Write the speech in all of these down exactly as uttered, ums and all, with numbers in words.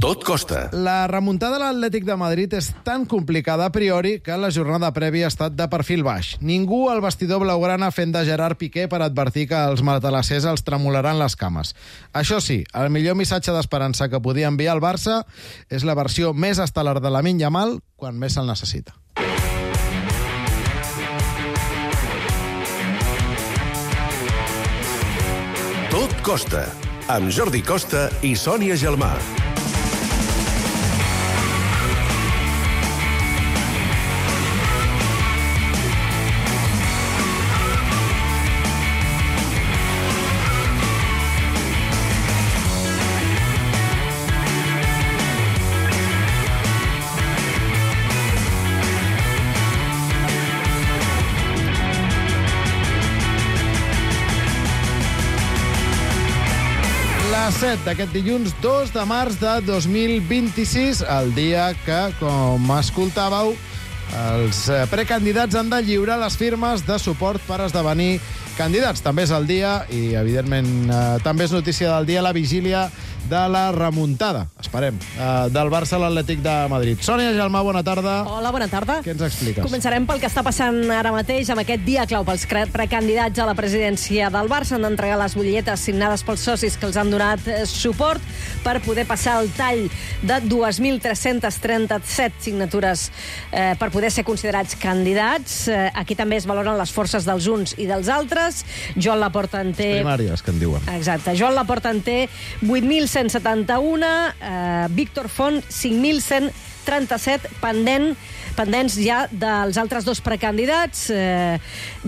Tot costa. La remuntada de l'Atlètic de Madrid és tan complicada a priori que la jornada prèvia ha estat de perfil baix. Ningú al vestidor blaugrana fent de Gerard Piqué per advertir que els matalassers els tremolaran les cames. Això sí, el millor missatge d'esperança que podia enviar el Barça és la versió més estel·lar de Lamine Yamal quan més se'l necessita. Tot costa, amb Jordi Costa i Sònia Gelmà. set d'aquest dilluns dos de març de dos mil vint-i-sis, el dia que, com escoltàveu, els precandidats han de lliurar les firmes de suport per esdevenir candidats. També és el dia, i evidentment eh, també és notícia del dia, la vigília de la remuntada, esperem, eh, del Barça a l'Atlètic de Madrid. Sònia Gelmà, bona tarda. Hola, bona tarda. Què ens expliques? Començarem pel que està passant ara mateix amb aquest dia clau pels precandidats a la presidència del Barça. Han d'entregar les butlletes signades pels socis que els han donat suport per poder passar el tall de dos mil tres-cents trenta-set signatures eh, per poder ser considerats candidats. Eh, aquí també es valoren les forces dels uns i dels altres. Joan Laporta en té... Primàries, que en diuen. Exacte. Joan Laporta en té vuit mil cent setanta-un, eh, Víctor Font cinc mil cent trenta-set, pendent, pendents ja dels altres dos precandidats, eh,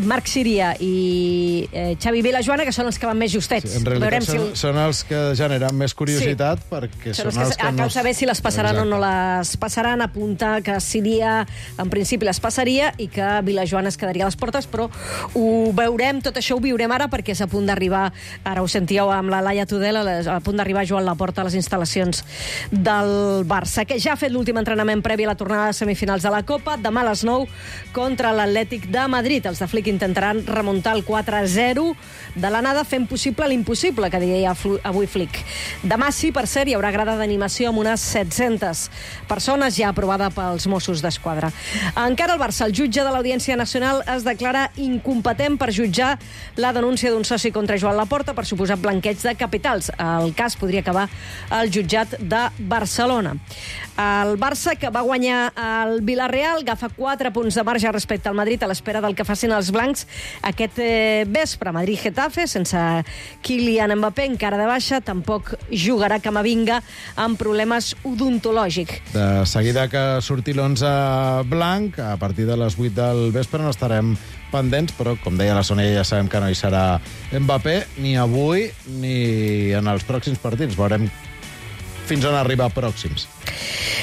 Marc Síria i eh, Xavi Vilajoana, que són els que van més justets. Sí, en realitat Veurem són, si... són els que generen més curiositat, sí, perquè són, són els que, que no... cal saber si les passaran. Exacte. O no les passaran, apuntar que Síria en principi les passaria i que Vilajoana es quedaria a les portes, però ho veurem, tot això ho viurem ara, perquè és a punt d'arribar, ara ho sentíeu amb la Laia Tudela, a punt d'arribar Joan Laporta a les instal·lacions del Barça, que ja ha fet l'últim entrenament previ a la tornada de semifinals de la Copa. Demà a les nou contra l'Atlètic de Madrid. Els de Flick intentaran remuntar el quatre a zero de l'anada, fent possible l'impossible, que deia avui Flick. Demà sí, per cert, hi haurà grada d'animació amb unes set-centes persones, ja aprovada pels Mossos d'Esquadra. Encara el Barça, el jutge de l'Audiència Nacional, es declara incompetent per jutjar la denúncia d'un soci contra Joan Laporta per suposat blanqueig de capitals. El cas podria acabar al jutjat de Barcelona. El Barça, que va guanyar el Villarreal, agafa quatre punts de marge respecte al Madrid a l'espera del que facin els blancs aquest eh, vespre. Madrid-Getafe, sense Kylian Mbappé, encara de baixa, tampoc jugarà Camavinga amb problemes odontològics. De seguida que surti l'onze blanc, a partir de les vuit del vespre no estarem pendents, però, com deia la Sònia, ja sabem que no hi serà Mbappé ni avui ni en els pròxims partits. Veurem fins on arriba pròxims.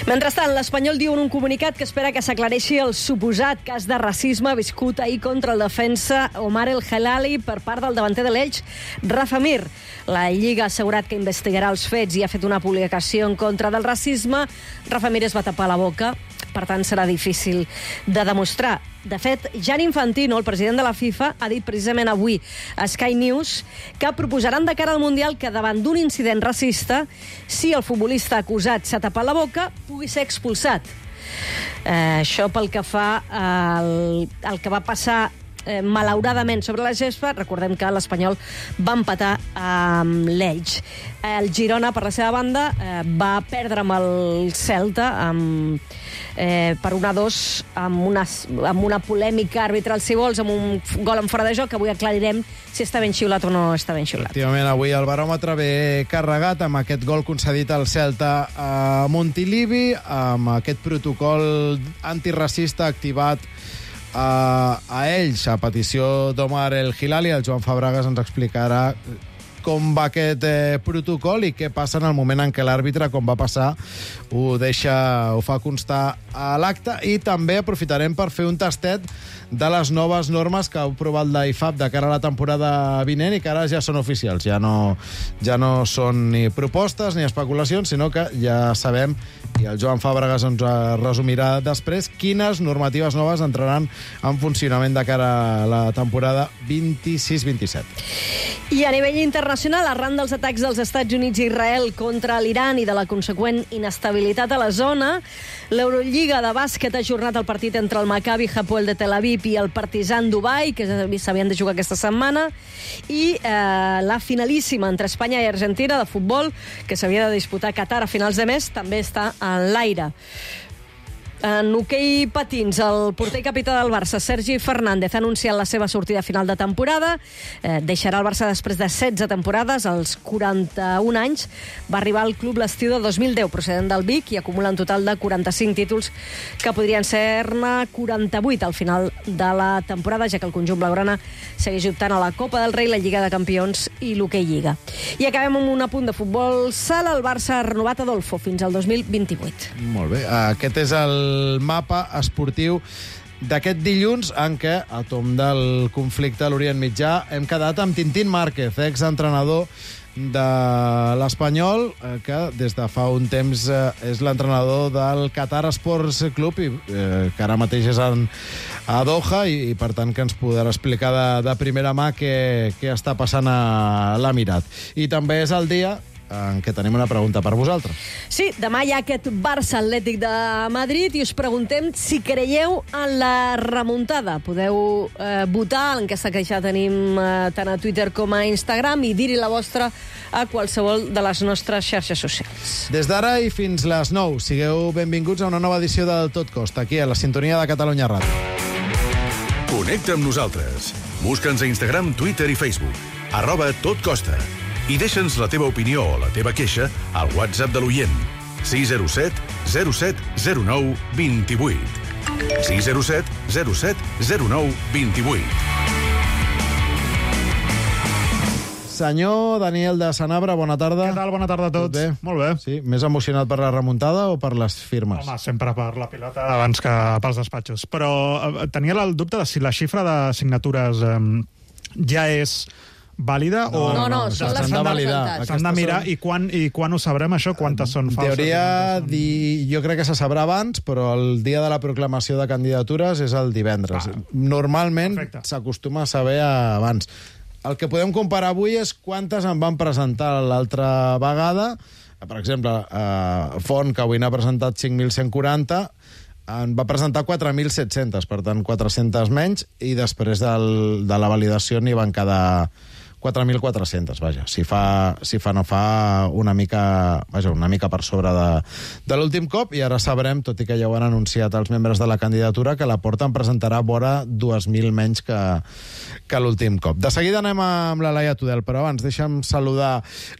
Mentrestant, l'Espanyol diu en un comunicat que espera que s'aclareixi el suposat cas de racisme viscut ahir contra el defensa Omar El Helali per part del davanter de l'Elx, Rafa Mir. La Lliga ha assegurat que investigarà els fets i ha fet una publicació en contra del racisme. Rafa Mir es va tapar la boca, per tant serà difícil de demostrar. De fet, Gianni Infantino, el president de la FIFA, ha dit precisament avui a Sky News que proposaran de cara al Mundial que davant d'un incident racista, si el futbolista acusat s'ha tapat la boca, pugui ser expulsat. Eh, això pel que fa al, al que va passar eh, malauradament sobre la gespa. Recordem que l'Espanyol va empatar amb l'Elx. El Girona, per la seva banda, eh, va perdre amb el Celta amb, eh, per un a dos amb una, amb una polèmica arbitral, si vols, amb un gol en fora de joc, que avui aclarirem si està ben xiulat o no està ben xiulat. Efectivament, avui el baròmetre ve carregat amb aquest gol concedit al Celta a Montilivi, amb aquest protocol antiracista activat a, a ells, a petició d'Omar El Hilali. El Joan Fabregas ens explicarà com va aquest eh, protocol i què passa en el moment en què l'àrbitre, com va passar, ho deixa, ho fa constar a l'acte. I també aprofitarem per fer un tastet de les noves normes que ha aprovat la I F A B de cara a la temporada vinent i que ara ja són oficials. Ja no, ja no són ni propostes ni especulacions, sinó que ja sabem, i el Joan Fàbregas ens resumirà després, quines normatives noves entraran en funcionament de cara a la temporada vint-i-sis vint-i-set. I a nivell internacional, internacional, arran dels atacs dels Estats Units i Israel contra l'Iran i de la conseqüent inestabilitat a la zona, l'Eurolliga de bàsquet ha ajornat el partit entre el Maccabi Hapoel de Tel Aviv i el Partizan Dubai, que s'havien de jugar aquesta setmana, i eh, la finalíssima entre Espanya i Argentina de futbol, que s'havia de disputar a Qatar a finals de mes, també està en l'aire. En hoquei patins, el porter i capità del Barça, Sergi Fernández, ha anunciat la seva sortida final de temporada. Eh, deixarà el Barça després de setze temporades, als quaranta-un anys. Va arribar al club l'estiu de dos mil deu, procedent del Vic, i acumula un total de quaranta-cinc títols, que podrien ser-ne quaranta-vuit al final de la temporada, ja que el conjunt blaugrana segueix optant a la Copa del Rei, la Lliga de Campions i l'Hoquei Lliga. I acabem amb un apunt de futbol sala. El Barça ha renovat Adolfo fins al dos mil vint-i-vuit. Molt bé. Aquest és el el mapa esportiu d'aquest dilluns, en què, a tom del conflicte a l'Orient Mitjà, hem quedat amb Tintín Márquez, exentrenador de l'Espanyol, que des de fa un temps és l'entrenador del Qatar Sports Club, i eh, que ara mateix és en, a Doha, i, i per tant que ens podrà explicar de, de primera mà què, què està passant a l'Emirat. I també és el dia en què tenim una pregunta per vosaltres. Sí, demà hi ha aquest Barça Atlètic de Madrid i us preguntem si creieu en la remuntada. Podeu eh, votar, l'enquesta que ja tenim eh, tant a Twitter com a Instagram, i dir-hi la vostra a qualsevol de les nostres xarxes socials. Des d'ara i fins les nou, sigueu benvinguts a una nova edició del Tot Costa, aquí a la sintonia de Catalunya Ràdio. Connecta amb nosaltres. Busca'ns a Instagram, Twitter i Facebook. Arroba Tot Costa. I deixa'ns la teva opinió o la teva queixa al WhatsApp de l'oient. sis zero set zero set zero nou dos vuit. sis zero set zero set zero nou dos vuit. Senyor Daniel de Sanabra, bona tarda. Què tal? Bona tarda a tots. Tot bé? Molt bé. Sí, més emocionat per la remuntada o per les firmes? Home, sempre per la pilota abans que pels despatxos. Però eh, tenia el dubte de si la xifra de signatures eh, ja és vàlida no, o... No, no, no són s'han les de que validar. presentats. S'han de mirar i quan, i quan ho sabrem, això? Quantes són En falses? teoria, són... di... jo crec que se sabrà abans, però el dia de la proclamació de candidatures és el divendres. Ah, Normalment perfecte. s'acostuma a saber abans. El que podem comparar avui és quantes en van presentar l'altra vegada. Per exemple, eh, Font, que avui n'ha presentat cinc mil cent quaranta, en va presentar quatre mil set-cents, per tant, quatre-centes menys, i després del, de la validació n'hi van quedar quatre mil quatre-cents, vaja. Si fa, si fa no fa una mica, vaja, una mica per sobre de, de l'últim cop, i ara sabrem, tot i que ja ho han anunciat els membres de la candidatura, que la Porta en presentarà vora dos mil menys que, que l'últim cop. De seguida anem amb la Laia Tudel, però abans deixa'm saludar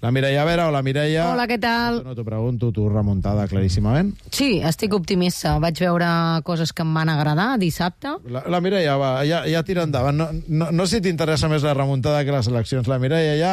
la Mireia Vera. Hola, Mireia. Hola, què tal? No t'ho pregunto, tu remuntada claríssimament. Sí, estic optimista. Vaig veure coses que em van agradar dissabte. La, la Mireia, va, ja, ja tira endavant. No, no, no sé si t'interessa més la remuntada que la selecció. La Mireia ja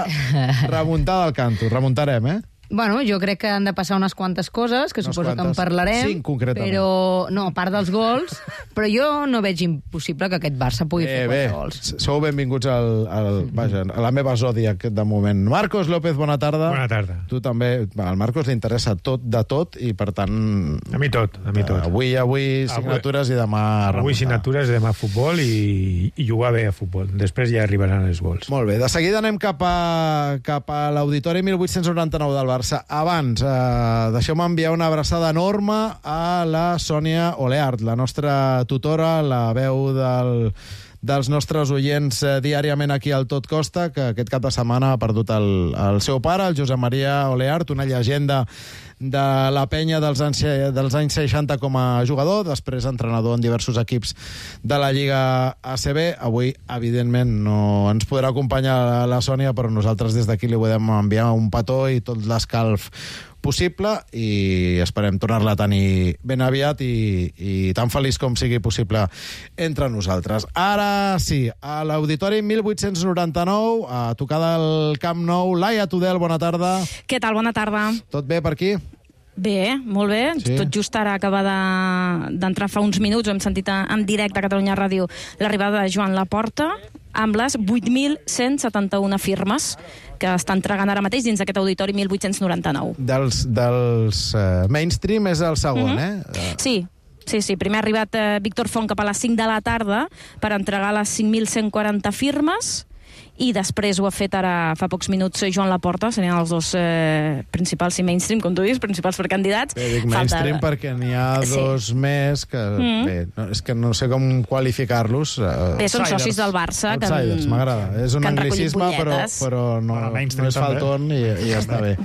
remuntada al canto. Remuntarem, eh? Bueno, jo crec que han de passar unes quantes coses, que Unes suposo quantes. que en parlarem. Cinc, concretament. Però, no, a part dels gols, però jo no veig impossible que aquest Barça pugui Eh, fer bé, quatre gols. sou benvinguts al, al, vaja, a la meva zòdiac de moment. Marcos López, bona tarda. Bona tarda. Tu també. Al Marcos li interessa tot de tot i, per tant... A mi tot, a mi tot. Avui, avui signatures i demà remuntar. Avui signatures i demà futbol i, i jugar bé a futbol. Després ja arribaran els gols. Molt bé, de seguida anem cap a, cap a l'Auditori mil vuit-cents noranta-nou del Barça. Abans, eh, deixeu-me enviar una abraçada enorme a la Sònia Oleart, la nostra tutora, la veu del, dels nostres oients eh, diàriament aquí al Tot Costa, que aquest cap de setmana ha perdut el, el seu pare, el Josep Maria Oleart, una llegenda de la penya dels anys, dels anys seixanta com a jugador, després entrenador en diversos equips de la Lliga A C B. Avui, evidentment, no ens podrà acompanyar la Sònia, però nosaltres des d'aquí li podem enviar un petó i tot l'escalf possible, i esperem tornar-la a tenir ben aviat i, i tan feliç com sigui possible entre nosaltres. Ara sí, a l'Auditori mil vuit-cents noranta-nou, a tocar del Camp Nou. Laia Tudel, bona tarda. Què tal? Bona tarda. Tot bé per aquí? Bé, molt bé. Sí. Tot just ara acaba d'entrar de, fa uns minuts, hem sentit en directe a Catalunya Ràdio l'arribada de Joan Laporta amb les vuit mil cent setanta-u firmes que està entregant ara mateix dins d'aquest auditori mil vuit-cents noranta-nou. Dels, dels uh, mainstream és el segon, Mhm. eh? Uh, Sí, sí, sí. Primer ha arribat eh, Víctor Font cap a les cinc de la tarda per entregar les cinc mil cent quaranta firmes i després ho ha fet ara fa pocs minuts Joan Laporta, serien els dos eh, principals i mainstream, com tu dius, principals precandidats. Bé, dic mainstream Falta... perquè n'hi ha dos sí. més que, mm. bé, no, és que no sé com qualificar-los. Uh, bé, són socis del Barça. Outsiders, que m'agrada. És un anglicisme, però, però no, no és falton i, i ja està bé.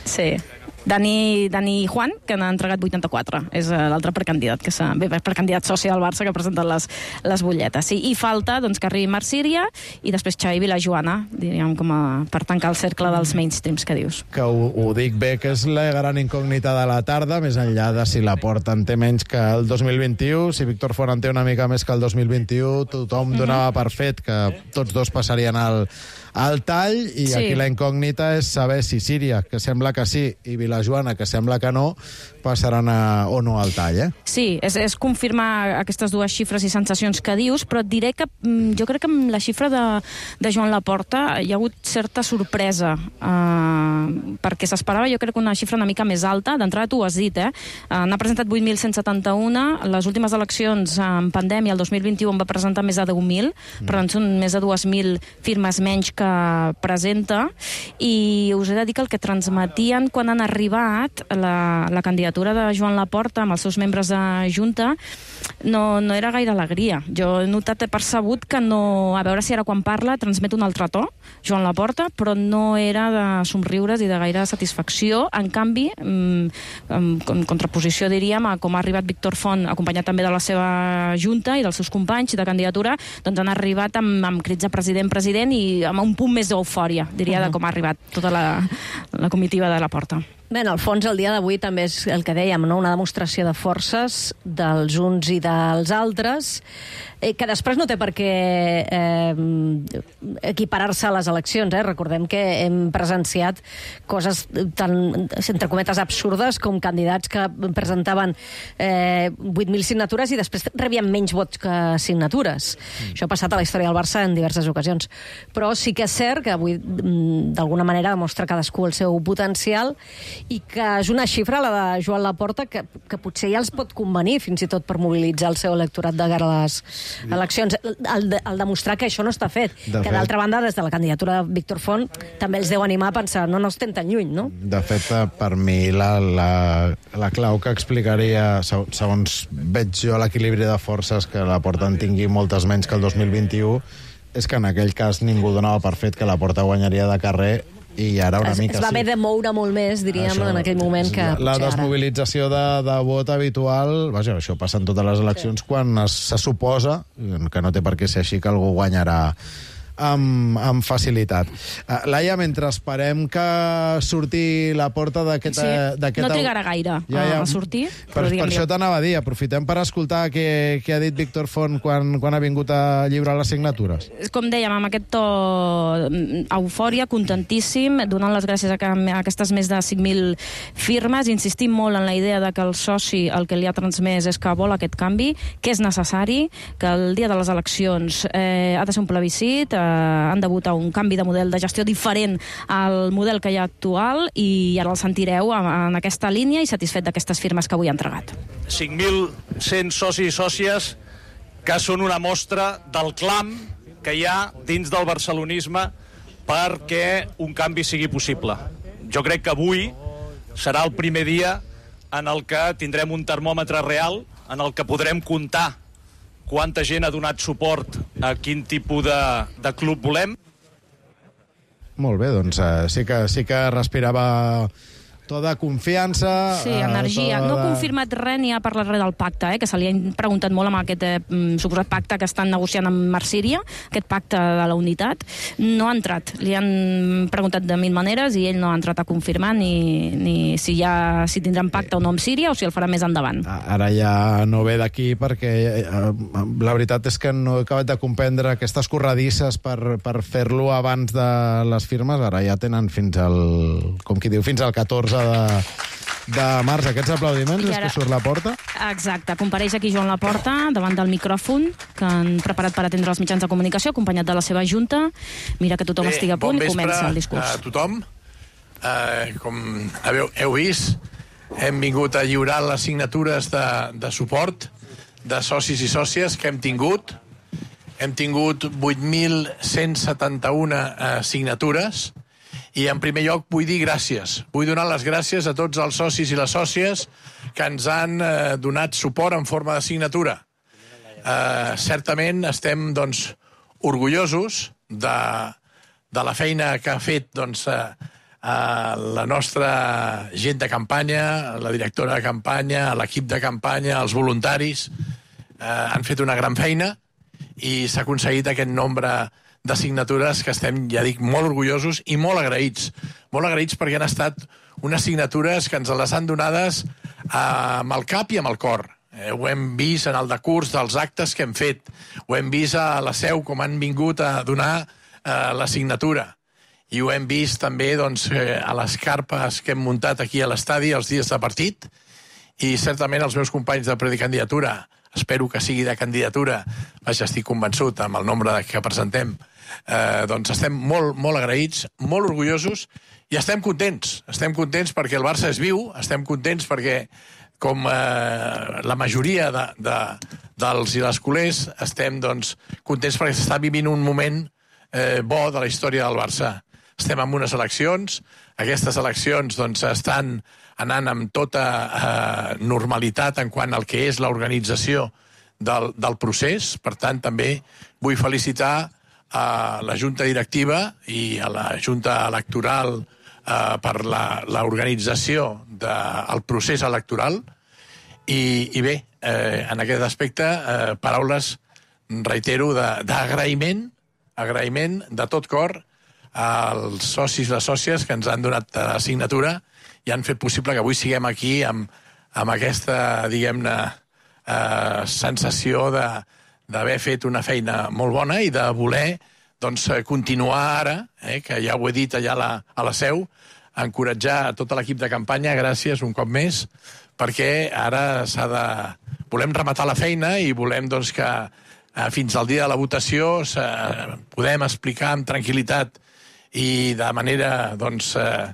Sí. Dani, Dani Juan, que n'ha entregat vuitanta-quatre. És l'altre precandidat, que s'ha, bé, precandidat soci del Barça que ha presentat les, les butlletes. Sí. I falta doncs, que arribi Marc Síria i després Xavi Vilajoana, diríem, com a, per tancar el cercle dels mainstreams que dius. Que ho, ho dic bé, que és la gran incògnita de la tarda, més enllà de si la Porta en té menys que el dos mil vint-i-u, si Víctor Font en té una mica més que el dos mil vint-i-u, tothom donava per fet que tots dos passarien al, al tall, i sí. Aquí la incògnita és saber si Síria, que sembla que sí, i Vilajoana, que sembla que no, passaran a, o no al tall, eh? Sí, és, és confirmar aquestes dues xifres i sensacions que dius, però et diré que jo crec que amb la xifra de, de Joan Laporta hi ha hagut certa sorpresa, eh, perquè s'esperava, jo crec, una xifra una mica més alta. D'entrada tu ho has dit, eh? Uh, n'ha presentat vuit mil cent setanta-un, les últimes eleccions en pandèmia, el dos mil vint-i-u, en va presentar més de deu mil, mm. per tant són més de dues mil firmes menys que presenta, i us he de dir que el que transmetien quan han arribat la, la candidatura de Joan Laporta amb els seus membres de Junta no, no era gaire alegria. Jo he notat, he percebut que no, a veure si ara quan parla transmet un altre to, Joan Laporta, però no era de somriures i de gaire satisfacció. En canvi, en contraposició, diríem, a com ha arribat Víctor Font, acompanyat també de la seva Junta i dels seus companys de candidatura, doncs han arribat amb, amb crits de president, president, i amb un punt més d'eufòria, diria, uh-huh. de com ha arribat tota la, la comitiva de Laporta. Bé, en el fons, el dia d'avui també és el que dèiem, no? Una demostració de forces dels uns i dels altres, eh, que després no té per què eh, equiparar-se a les eleccions. Eh? Recordem que hem presenciat coses tan, entre cometes, absurdes, com candidats que presentaven eh, vuit mil signatures i després rebien menys vots que signatures. Mm. Això ha passat a la història del Barça en diverses ocasions. Però sí que és cert que avui, d'alguna manera, demostra cadascú el seu potencial, i que és una xifra, la de Joan Laporta, que, que potser ja els pot convenir fins i tot per mobilitzar el seu electorat de cara a les eleccions. El, de, el demostrar que això no està fet. De que, d'altra banda, des de la candidatura de Víctor Font també els deu animar a pensar, no, no estem tan lluny, no? De fet, per mi, la, la, la clau que explicaria, segons veig jo l'equilibri de forces, que Laporta en tingui moltes menys que el dos mil vint-i-u, és que en aquell cas ningú donava per fet que Laporta guanyaria de carrer, i ara una es, mica es va haver sí. de moure molt més, diríem, això, en aquell moment que la desmobilització de, de vot habitual, vaja, això passa en totes les eleccions, sí. quan es, se suposa, que no té per què ser així, que algú guanyarà amb, amb facilitat. Uh, Laia, mentre esperem que surti Laporta d'aquest... Sí, no trigarà gaire ja, ja, a sortir. Per, per això t'anava a dir, aprofitem per escoltar què, què ha dit Víctor Font quan, quan ha vingut a lliurar les signatures. Com dèiem, amb aquest to eufòria, contentíssim, donant les gràcies a, que, a aquestes més de cinc mil firmes, insistim molt en la idea de que el soci el que li ha transmès és que vol aquest canvi, que és necessari, que el dia de les eleccions eh, ha de ser un plebiscit, eh, han de votar un canvi de model de gestió diferent al model que hi ha actual, i ara el sentireu en aquesta línia i satisfet d'aquestes firmes que avui ha entregat. cinc mil cent socis i sòcies que són una mostra del clam que hi ha dins del barcelonisme perquè un canvi sigui possible. Jo crec que avui serà el primer dia en el que tindrem un termòmetre real, en el que podrem comptar quanta gent ha donat suport a quin tipus de, de club volem. Molt bé, doncs uh, sí que, sí que respirava to de confiança... Sí, energia. Uh, no ha de... confirmat res ni ha parlat res del pacte, eh, que se li ha preguntat molt amb aquest eh, suposat pacte que estan negociant amb Marc Síria, aquest pacte de la unitat. No ha entrat. Li han preguntat de mil maneres i ell no ha entrat a confirmar ni, ni si, ja, si tindran pacte o no amb Síria o si el farà més endavant. Ara ja no ve d'aquí perquè eh, la veritat és que no he acabat de comprendre aquestes corredisses per, per fer-lo abans de les firmes. Ara ja tenen fins al, com qui diu, fins al catorze de, de març. Aquests aplaudiments ara... és que surt Laporta? Exacte. Compareix aquí Joan Laporta davant del micròfon que han preparat per atendre els mitjans de comunicació, acompanyat de la seva junta. Mira que tothom Bé, estigui a punt bon i comença el discurs. A tothom. Uh, com heu, heu vist, hem vingut a lliurar les signatures de, de suport de socis i sòcies que hem tingut. hem tingut vuit mil cent setanta-u eh, signatures, i en primer lloc vull dir gràcies. Vull donar les gràcies a tots els socis i les sòcies que ens han eh, donat suport en forma de signatura. Eh, certament estem doncs, orgullosos de, de la feina que ha fet doncs, eh, eh, la nostra gent de campanya, la directora de campanya, l'equip de campanya, els voluntaris. Eh, han fet una gran feina i s'ha aconseguit aquest nombre de signatures que estem, ja dic, molt orgullosos i molt agraïts. Molt agraïts perquè han estat unes signatures que ens les han donades eh, amb el cap i amb el cor. Eh, ho hem vist en el decurs dels actes que hem fet. Ho hem vist a la Seu com han vingut a donar eh, la signatura. I ho hem vist també doncs, eh, a les carpes que hem muntat aquí a l'estadi els dies de partit. I certament els meus companys de precandidatura, espero que sigui de candidatura, vaja, estic convençut amb el nombre que presentem, eh, doncs estem molt, molt agraïts, molt orgullosos i estem contents. Estem contents perquè el Barça és viu, estem contents perquè, com eh, la majoria de, de, dels i les culers, estem doncs, contents perquè s'està vivint un moment eh, bo de la història del Barça. Estem en unes eleccions, aquestes eleccions doncs, estan anant amb tota eh, normalitat en quant al que és l'organització del, del procés. Per tant, també vull felicitar a la Junta Directiva i a la Junta Electoral eh, per l'organització del procés electoral. I, i bé, eh, en aquest aspecte, eh, paraules, reitero, d'agraïment, agraïment de tot cor als socis i les sòcies que ens han donat la signatura i han fet possible que avui siguem aquí amb, amb aquesta, diguem-ne, eh, sensació d'haver fet una feina molt bona i de voler doncs, continuar ara, eh, que ja ho he dit allà a la, a la Seu, encoratjar a tot l'equip de campanya, gràcies un cop més, perquè ara s'ha de... volem rematar la feina i volem doncs, que eh, fins al dia de la votació eh, podem explicar amb tranquil·litat i de manera doncs, eh,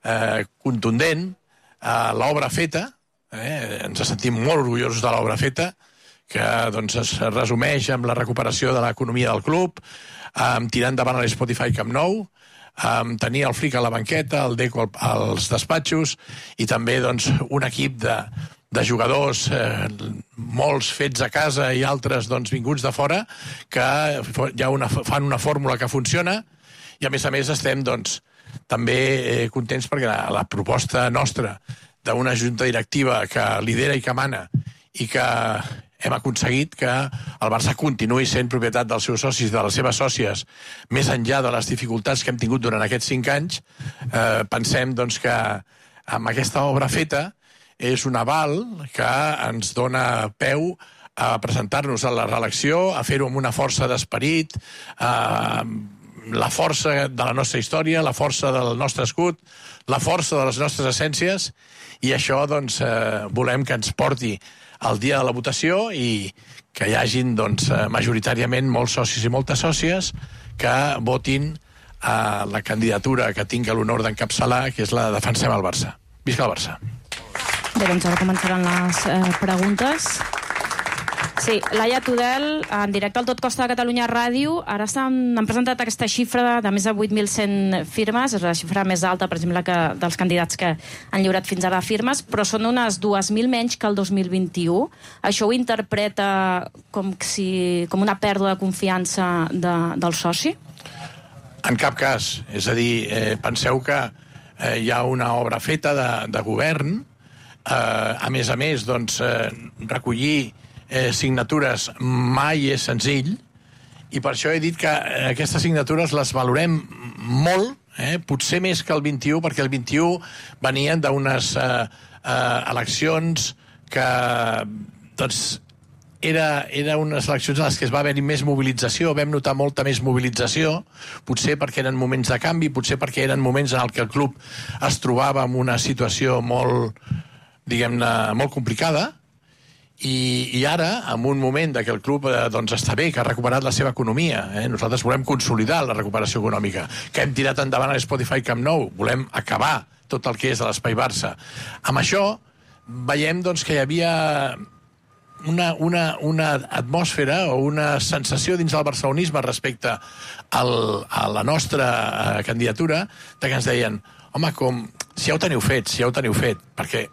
eh, contundent eh, l'obra feta. Eh, ens sentim molt orgullosos de l'obra feta, que doncs, es resumeix amb la recuperació de l'economia del club, amb tirar endavant a l'Spotify Camp Nou, amb tenir el Fric a la banqueta, el Deco als despatxos i també doncs, un equip de, de jugadors, eh, molts fets a casa i altres doncs, vinguts de fora, que ja una, fan una fórmula que funciona. I a més a més estem doncs, també eh, contents perquè la, la proposta nostra d'una junta directiva que lidera i que mana i que hem aconseguit que el Barça continuï sent propietat dels seus socis, de les seves sòcies, més enllà de les dificultats que hem tingut durant aquests cinc anys, eh, pensem doncs, que amb aquesta obra feta és un aval que ens dona peu a presentar-nos a la reelecció, a fer-ho amb una força d'esperit, eh, la força de la nostra història, la força del nostre escut, la força de les nostres essències, i això doncs, eh, volem que ens porti al dia de la votació i que hi hagin doncs, majoritàriament molts socis i moltes sòcies que votin a la candidatura que tinc l'honor d'encapçalar, que és la de Defensem el Barça. Visca el Barça. Bé, doncs ara començaran les eh, preguntes. Sí, Laia Tudel, en directe al Tot Costa de Catalunya Ràdio, ara s'han han presentat aquesta xifra de més de vuit mil cent firmes, és la xifra més alta, per exemple, que dels candidats que han lliurat fins ara firmes, però són unes dues mil menys que el dos mil vint-i-u. Això ho interpreta com, si, com una pèrdua de confiança de, del soci? En cap cas. És a dir, eh, penseu que eh, hi ha una obra feta de, de govern, eh, a més a més, doncs, eh, recollir Eh, signatures mai és senzill, i per això he dit que eh, aquestes signatures les valorem molt, eh, potser més que el vint-i-u, perquè el vint-i-u venien d'unes eh, eh, eleccions que doncs, era, era unes eleccions en les que es va haver-hi més mobilització, vam notar molta més mobilització, potser perquè eren moments de canvi, potser perquè eren moments en què el club es trobava en una situació molt, diguem-ne, molt complicada. I, i ara, en un moment que el club eh, doncs està bé, que ha recuperat la seva economia, eh? Nosaltres volem consolidar la recuperació econòmica, que hem tirat endavant a l'Spotify Camp Nou, volem acabar tot el que és de l'Espai Barça. Amb això veiem doncs, que hi havia una, una, una atmosfera o una sensació dins del barcelonisme respecte al, a la nostra candidatura, de que ens deien, home, com, si ja ho teniu fet, si ja ho teniu fet, perquè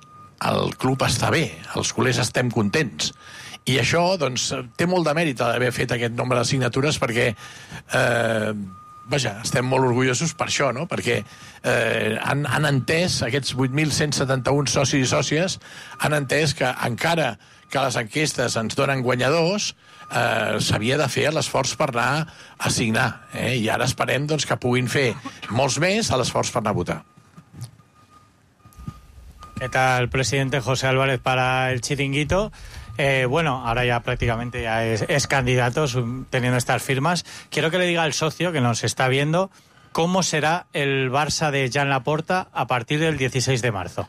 el club està bé, els culers estem contents. I això, doncs, té molt de mèrit d'haver fet aquest nombre de signatures perquè, eh, vaja, estem molt orgullosos per això, no? Perquè eh, han, han entès, aquests vuit mil cent setanta-un socis i sòcies, han entès que encara que les enquestes ens donen guanyadors, eh, s'havia de fer l'esforç per anar a signar. Eh? I ara esperem doncs, que puguin fer molts més a l'esforç per anar a votar. ¿Qué tal, presidente? José Álvarez para el Chiringuito. Eh, bueno, ahora ya prácticamente ya es, es candidato teniendo estas firmas. Quiero que le diga al socio que nos está viendo cómo será el Barça de Joan Laporta a partir del dieciséis de marzo.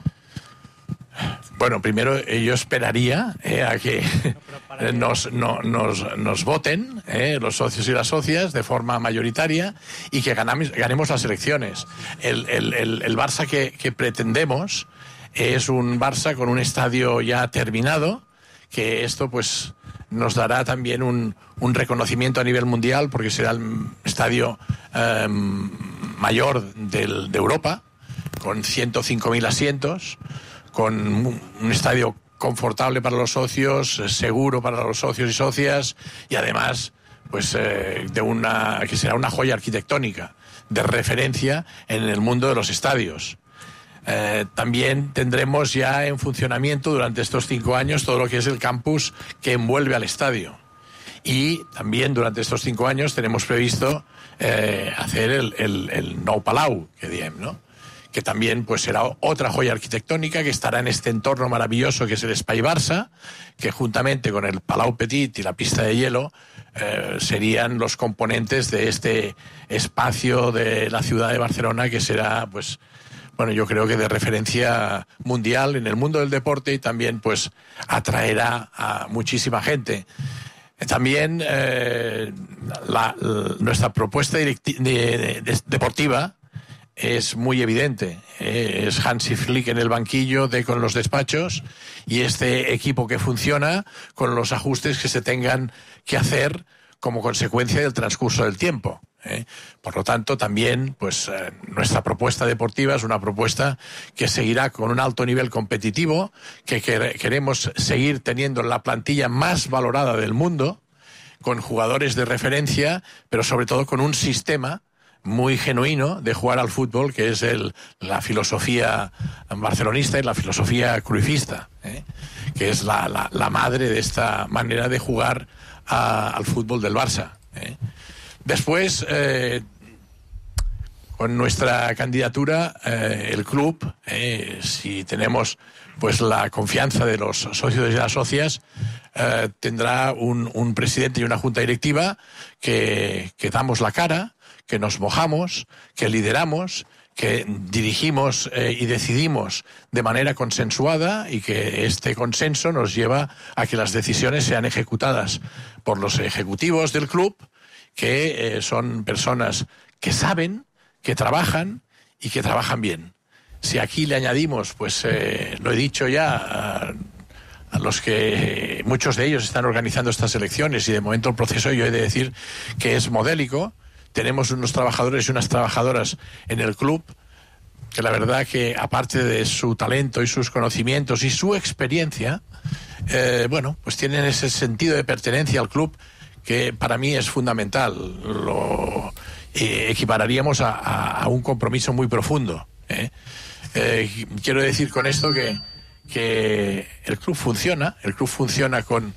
Bueno, primero yo esperaría eh, a que nos, no, nos, nos voten eh, los socios y las socias de forma mayoritaria y que ganamos, ganemos las elecciones. El, el, el, el Barça que, que pretendemos es un Barça con un estadio ya terminado, que esto pues nos dará también un, un reconocimiento a nivel mundial porque será el estadio eh, mayor del, de Europa, con ciento cinco mil asientos, con un estadio confortable para los socios, seguro para los socios y socias, y además pues eh, de una que será una joya arquitectónica de referencia en el mundo de los estadios. Eh, también tendremos ya en funcionamiento durante estos cinco años todo lo que es el campus que envuelve al estadio. Y también durante estos cinco años tenemos previsto eh, hacer el, el, el Nou Palau, que diem, ¿no? Que también pues será otra joya arquitectónica que estará en este entorno maravilloso que es el Espai Barça, que juntamente con el Palau Petit y la pista de hielo eh, serían los componentes de este espacio de la ciudad de Barcelona que será pues bueno, yo creo que de referencia mundial en el mundo del deporte y también pues atraerá a muchísima gente. También eh, la, la, nuestra propuesta directi- de, de, deportiva es muy evidente. Eh, es Hansi Flick en el banquillo, de con los despachos, y este equipo que funciona con los ajustes que se tengan que hacer como consecuencia del transcurso del tiempo. ¿eh? Por lo tanto, también pues eh, nuestra propuesta deportiva es una propuesta que seguirá con un alto nivel competitivo, que, que queremos seguir teniendo la plantilla más valorada del mundo, con jugadores de referencia, pero sobre todo con un sistema muy genuino de jugar al fútbol, que es el, la filosofía barcelonista y la filosofía cruifista, ¿eh? que es la, la, la madre de esta manera de jugar a, al fútbol del Barça. ¿eh? Después, eh, con nuestra candidatura, eh, el club, eh, si tenemos pues la confianza de los socios y las socias, eh, tendrá un, un presidente y una junta directiva que, que damos la cara, que nos mojamos, que lideramos, que dirigimos eh, y decidimos de manera consensuada, y que este consenso nos lleva a que las decisiones sean ejecutadas por los ejecutivos del club, que eh, son personas que saben, que trabajan y que trabajan bien. Si aquí le añadimos, pues eh, lo he dicho ya, a, a los que eh, muchos de ellos están organizando estas elecciones, y de momento el proceso yo he de decir que es modélico. Tenemos unos trabajadores y unas trabajadoras en el club que la verdad que, aparte de su talento y sus conocimientos y su experiencia, eh, bueno, pues tienen ese sentido de pertenencia al club que para mí es fundamental. Lo eh, equipararíamos a, a, a un compromiso muy profundo. ¿eh? Eh, quiero decir con esto que, que el club funciona, el club funciona con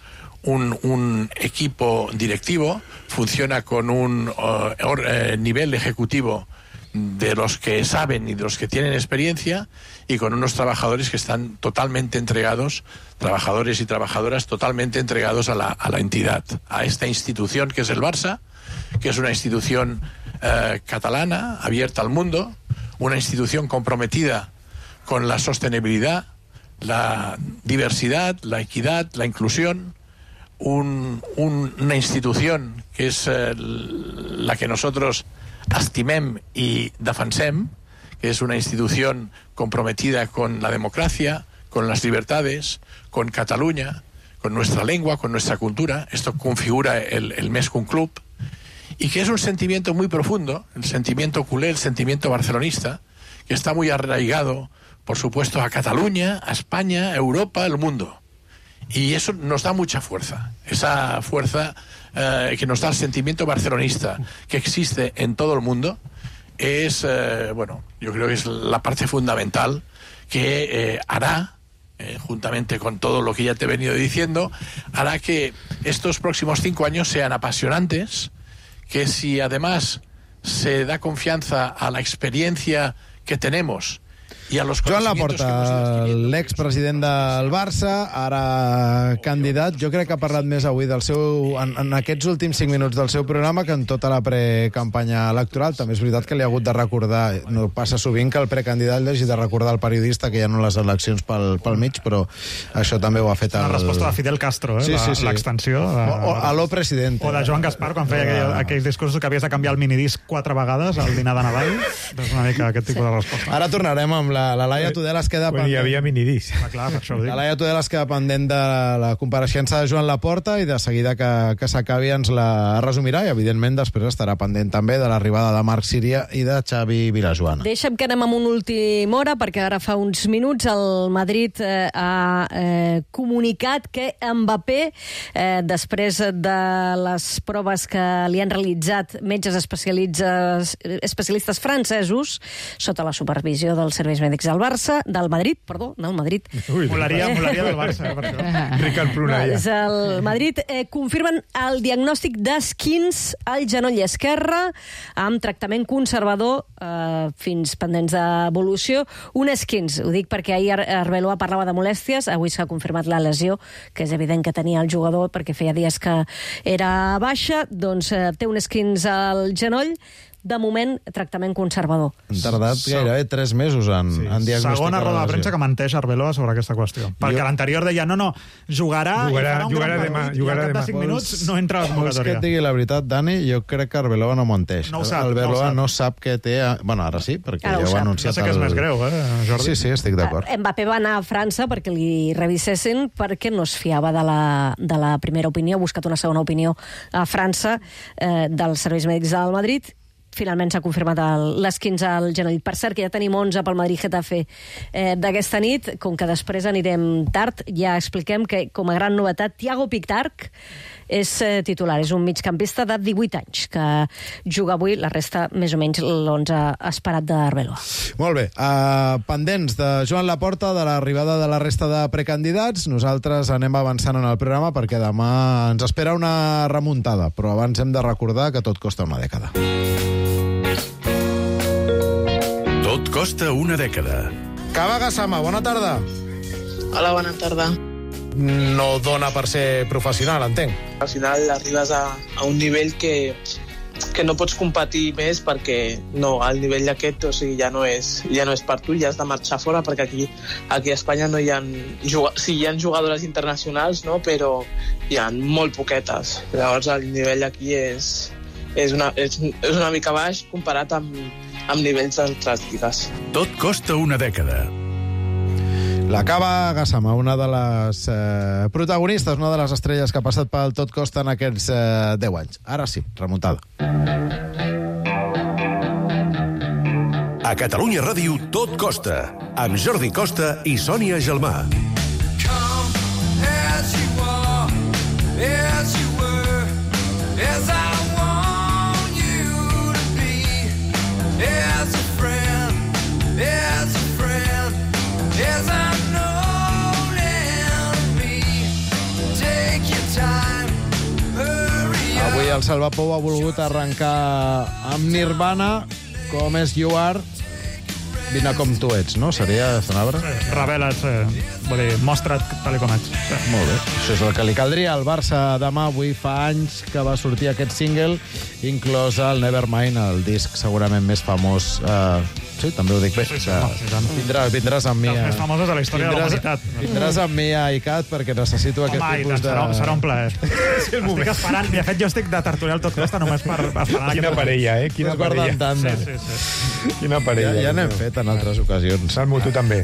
Un, un equipo directivo, funciona con un uh, or, eh, nivel ejecutivo de los que saben y de los que tienen experiencia, y con unos trabajadores que están totalmente entregados, trabajadores y trabajadoras totalmente entregados a la, a la entidad, a esta institución que es el Barça, que es una institución eh, catalana, abierta al mundo, una institución comprometida con la sostenibilidad, la diversidad, la equidad, la inclusión. Un, un, una institución que és eh, la que nosotros estimem y defensem, que es una institución comprometida con la democracia, con las libertades, con Cataluña, con nuestra lengua, con nuestra cultura. Esto configura el, el mes que un club. Y que es un sentimiento muy profundo, el sentimiento culé, el sentimiento barcelonista, que está muy arraigado, por supuesto, a Cataluña, a España, a Europa, al mundo. Y eso nos da mucha fuerza, esa fuerza eh, que nos da el sentimiento barcelonista que existe en todo el mundo, es, eh, bueno, yo creo que es la parte fundamental que eh, hará, eh, juntamente con todo lo que ya te he venido diciendo, hará que estos próximos cinco años sean apasionantes, que si además se da confianza a la experiencia que tenemos i a los Joan Laporta, l'expresident del Barça, ara candidat. Jo crec que ha parlat més avui del seu, en, en aquests últims cinc minuts del seu programa que en tota la precampanya electoral. També és veritat que li ha hagut de recordar, no passa sovint que el precandidat li hagi de recordar al periodista que hi ha les eleccions pel, pel mig, però això també ho ha fet el... La resposta de Fidel Castro, eh? Sí, sí, sí. L'extensió. De... O, o aló, president. O de Joan Gaspar, quan feia aquell, aquells discursos que havies de canviar el minidisc quatre vegades al dinar de Nadal. És una mica aquest tipus de resposta. Ara tornarem amb la, la Laia Tudela es queda pendent. Hi havia minidis. Ah, clar, per això ho dic. La Laia Tudela es queda pendent de la compareixença de Joan Laporta i de seguida que, que s'acabi ens la resumirà i, evidentment, després estarà pendent també de l'arribada de Marc Síria i de Xavi Vilajoana. Deixa'm que anem amb una última hora, perquè ara fa uns minuts el Madrid eh, ha eh, comunicat que Mbappé, eh, després de les proves que li han realitzat metges especialistes francesos, sota la supervisió dels serveis mèdics del Barça, del Madrid, perdó, no, el Madrid. Ui, molaria, molaria del Barça, eh, per això. Ricard Prunella. És el Madrid. Eh, confirmen el diagnòstic d'esquins al genoll esquerre, amb tractament conservador eh, fins pendents d'evolució. Un esquins, ho dic perquè ahir Arbeloa parlava de molèsties, avui s'ha confirmat la lesió, que és evident que tenia el jugador perquè feia dies que era baixa, doncs eh, té un esquins al genoll, de moment, tractament conservador. Han tardat gairebé tres mesos en, sí. en diagnosticar. Segona roda de premsa que menteix Arbeloa sobre aquesta qüestió. Perquè jo... l'anterior deia, no, no, jugarà, jugarà i farà un jugarà gran demà, partit, jugarà i al cap de cinc minuts no entra a la convocatòria. Vols que et digui la veritat, Dani? Jo crec que Arbeloa no menteix. No ho sap. Arbeloa no, no sap què té... A... Bueno, ara sí, perquè ara ja ho ha anunciat. No sé què és més greu, eh, Jordi? Sí, sí, estic d'acord. Mbappé va anar a França perquè li revisessin, perquè no es fiava de la, de la primera opinió, ha buscat una segona opinió a França eh, dels serveis mèdics del Madrid. Finalment s'ha confirmat l'esquins al genoll. Per cert, que ja tenim onze pel Madrid-Getafe eh, d'aquesta nit. Com que després anirem tard, ja expliquem que, com a gran novetat, Thiago Picktark és eh, titular. És un migcampista de divuit anys, que juga avui, la resta, més o menys, l'onze esperat d'Arbeloa. Molt bé. Uh, pendents de Joan Laporta, de l'arribada de la resta de precandidats, nosaltres anem avançant en el programa perquè demà ens espera una remuntada, però abans hem de recordar que tot costa una dècada. Tot costa una dècada. Cava Gassama, bona tarda. Hola, bona tarda. No dona per ser professional, entenc. Al final arribes a, a un nivell que, que no pots competir més perquè no, el nivell aquest, o sigui, ja no és, ja no és per tu, ja has de marxar fora perquè aquí, aquí a Espanya no hi ha... Sí, hi ha jugadores internacionals, no? Però hi ha molt poquetes. Llavors el nivell aquí és, és, una, és, és una mica baix comparat amb, amb nivells d'altres lligues. Tot costa una dècada. La Cava Gassama, una de les eh, protagonistes, una de les estrelles que ha passat pel Tot Costa en aquests eh, deu anys. Ara sí, remuntada. A Catalunya Ràdio, Tot Costa, amb Jordi Costa i Sònia Gelmà. Come as you are, as you were, as I want you to be, as a friend, as a friend, as I Avui el Salva Pou ha volgut arrencar amb Nirvana, com és You Are, vine com tu ets, no? Seria Sanabra? Sí, revela't, eh, vull dir, mostra't tal com ets. Sí. Molt bé, això és el que li caldria al Barça demà. Avui fa anys que va sortir aquest single, inclòs el Nevermind, el disc segurament més famós... Eh, sí, també ho dic bé. Sí, sí, no, sí, no. Vindràs, vindràs amb mi... Els més famosos de la història vindràs, de la humanitat. Vindràs amb mi a ICAT perquè necessito Home, aquest tipus tant, de... Serà, serà un plaer. Sí, estic esperant. De fet, jo estic de tertuliar el Tot Costa només per esperar... Quina parella, eh? Quina parella. Sí, sí, sí. Quina parella. Ja, ja n'hem fet en altres ocasions. Salmo, tu també.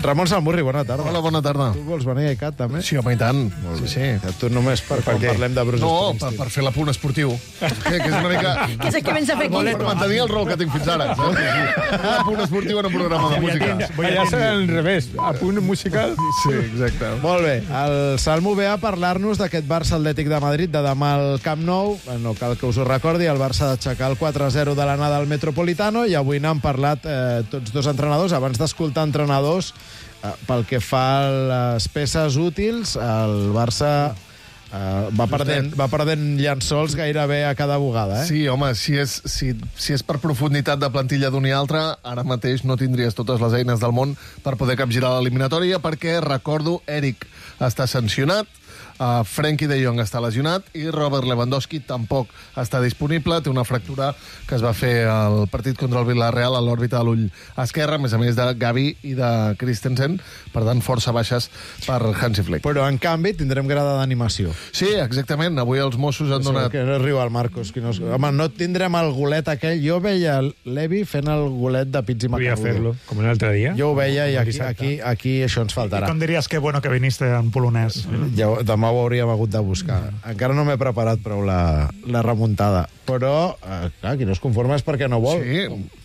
Ramon Salmurri, bona tarda. Hola, bona tarda. Tu vols venir a ICAT, també? Sí, home, i tant. Molt bé. Sí, sí. Que tu només per, Per quan què? parlem de Bruce No, per, Springsteen. per fer l'apunt esportiu. que, que és una mica... Que és el que vens a fer aquí. Per mantenir el rol que tinc fins ara. saps? L'apunt esportiu en un programa de música. Allà serà al revés, a punt musical. Sí, exacte. Molt bé, el Salmo ve a parlar-nos d'aquest Barça Atlètic de Madrid de demà al Camp Nou. No cal que us ho recordi, el Barça ha d'aixecar el quatre a zero de l'anada al Metropolitano i avui n'han parlat eh, tots dos entrenadors. Abans d'escoltar entrenadors, eh, pel que fa a les peces útils, el Barça eh, va, perdent, va perdent llençols gairebé a cada bugada. Eh? Sí, home, si és, si, si és per profunditat de plantilla d'un i altre, ara mateix no tindries totes les eines del món per poder capgirar l'eliminatòria, perquè, recordo, Eric està sancionat, Uh, Frenkie de Jong està lesionat i Robert Lewandowski tampoc està disponible. Té una fractura que es va fer al partit contra el Villarreal a l'òrbita de l'ull esquerre, a més a més de Gavi i de Christensen. Per tant, força baixes per Hansi Flick. Però, en canvi, tindrem grada d'animació. Sí, exactament. Avui els Mossos han donat... Que no riu el Marcos. Que no... Home, no tindrem el golet aquell. Jo veia Levi fent el golet de Pizzi Voy a Macanudo. hacerlo, com l'altre dia. Jo ho veia i aquí, aquí, aquí això ens faltarà. Com diries que bueno que viniste en polonès? Ja, demà ho hauríem hagut de buscar. Encara no m'he preparat prou la, la remuntada. Però, eh, clar, qui no es conforma és perquè no vol. Sí,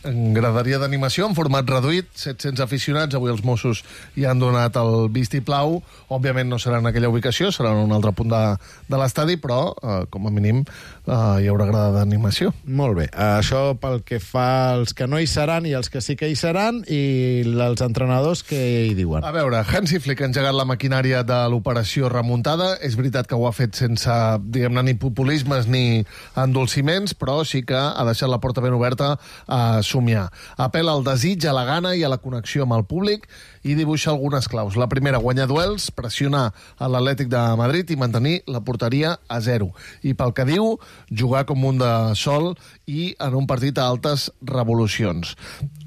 en graderia d'animació, en format reduït, set-cents aficionats. Avui els Mossos hi han donat el vistiplau. Òbviament no serà en aquella ubicació, serà en un altre punt de, de l'estadi, però, eh, com a mínim, eh, hi haurà grada d'animació. Molt bé. Això pel que fa als que no hi seran i els que sí que hi seran, i els entrenadors que hi diuen. A veure, Hansi Flick ha engegat la maquinària de l'operació remuntada. És veritat que ho ha fet sense, diguem-ne, ni populismes ni endolciments, però sí que ha deixat la porta ben oberta a somiar. Apel·la al desig, a la gana i a la connexió amb el públic i dibuixa algunes claus. La primera, guanyar duels, pressionar a l'Atlètic de Madrid i mantenir la porteria a zero. I pel que diu, jugar com un de sol i en un partit a altes revolucions.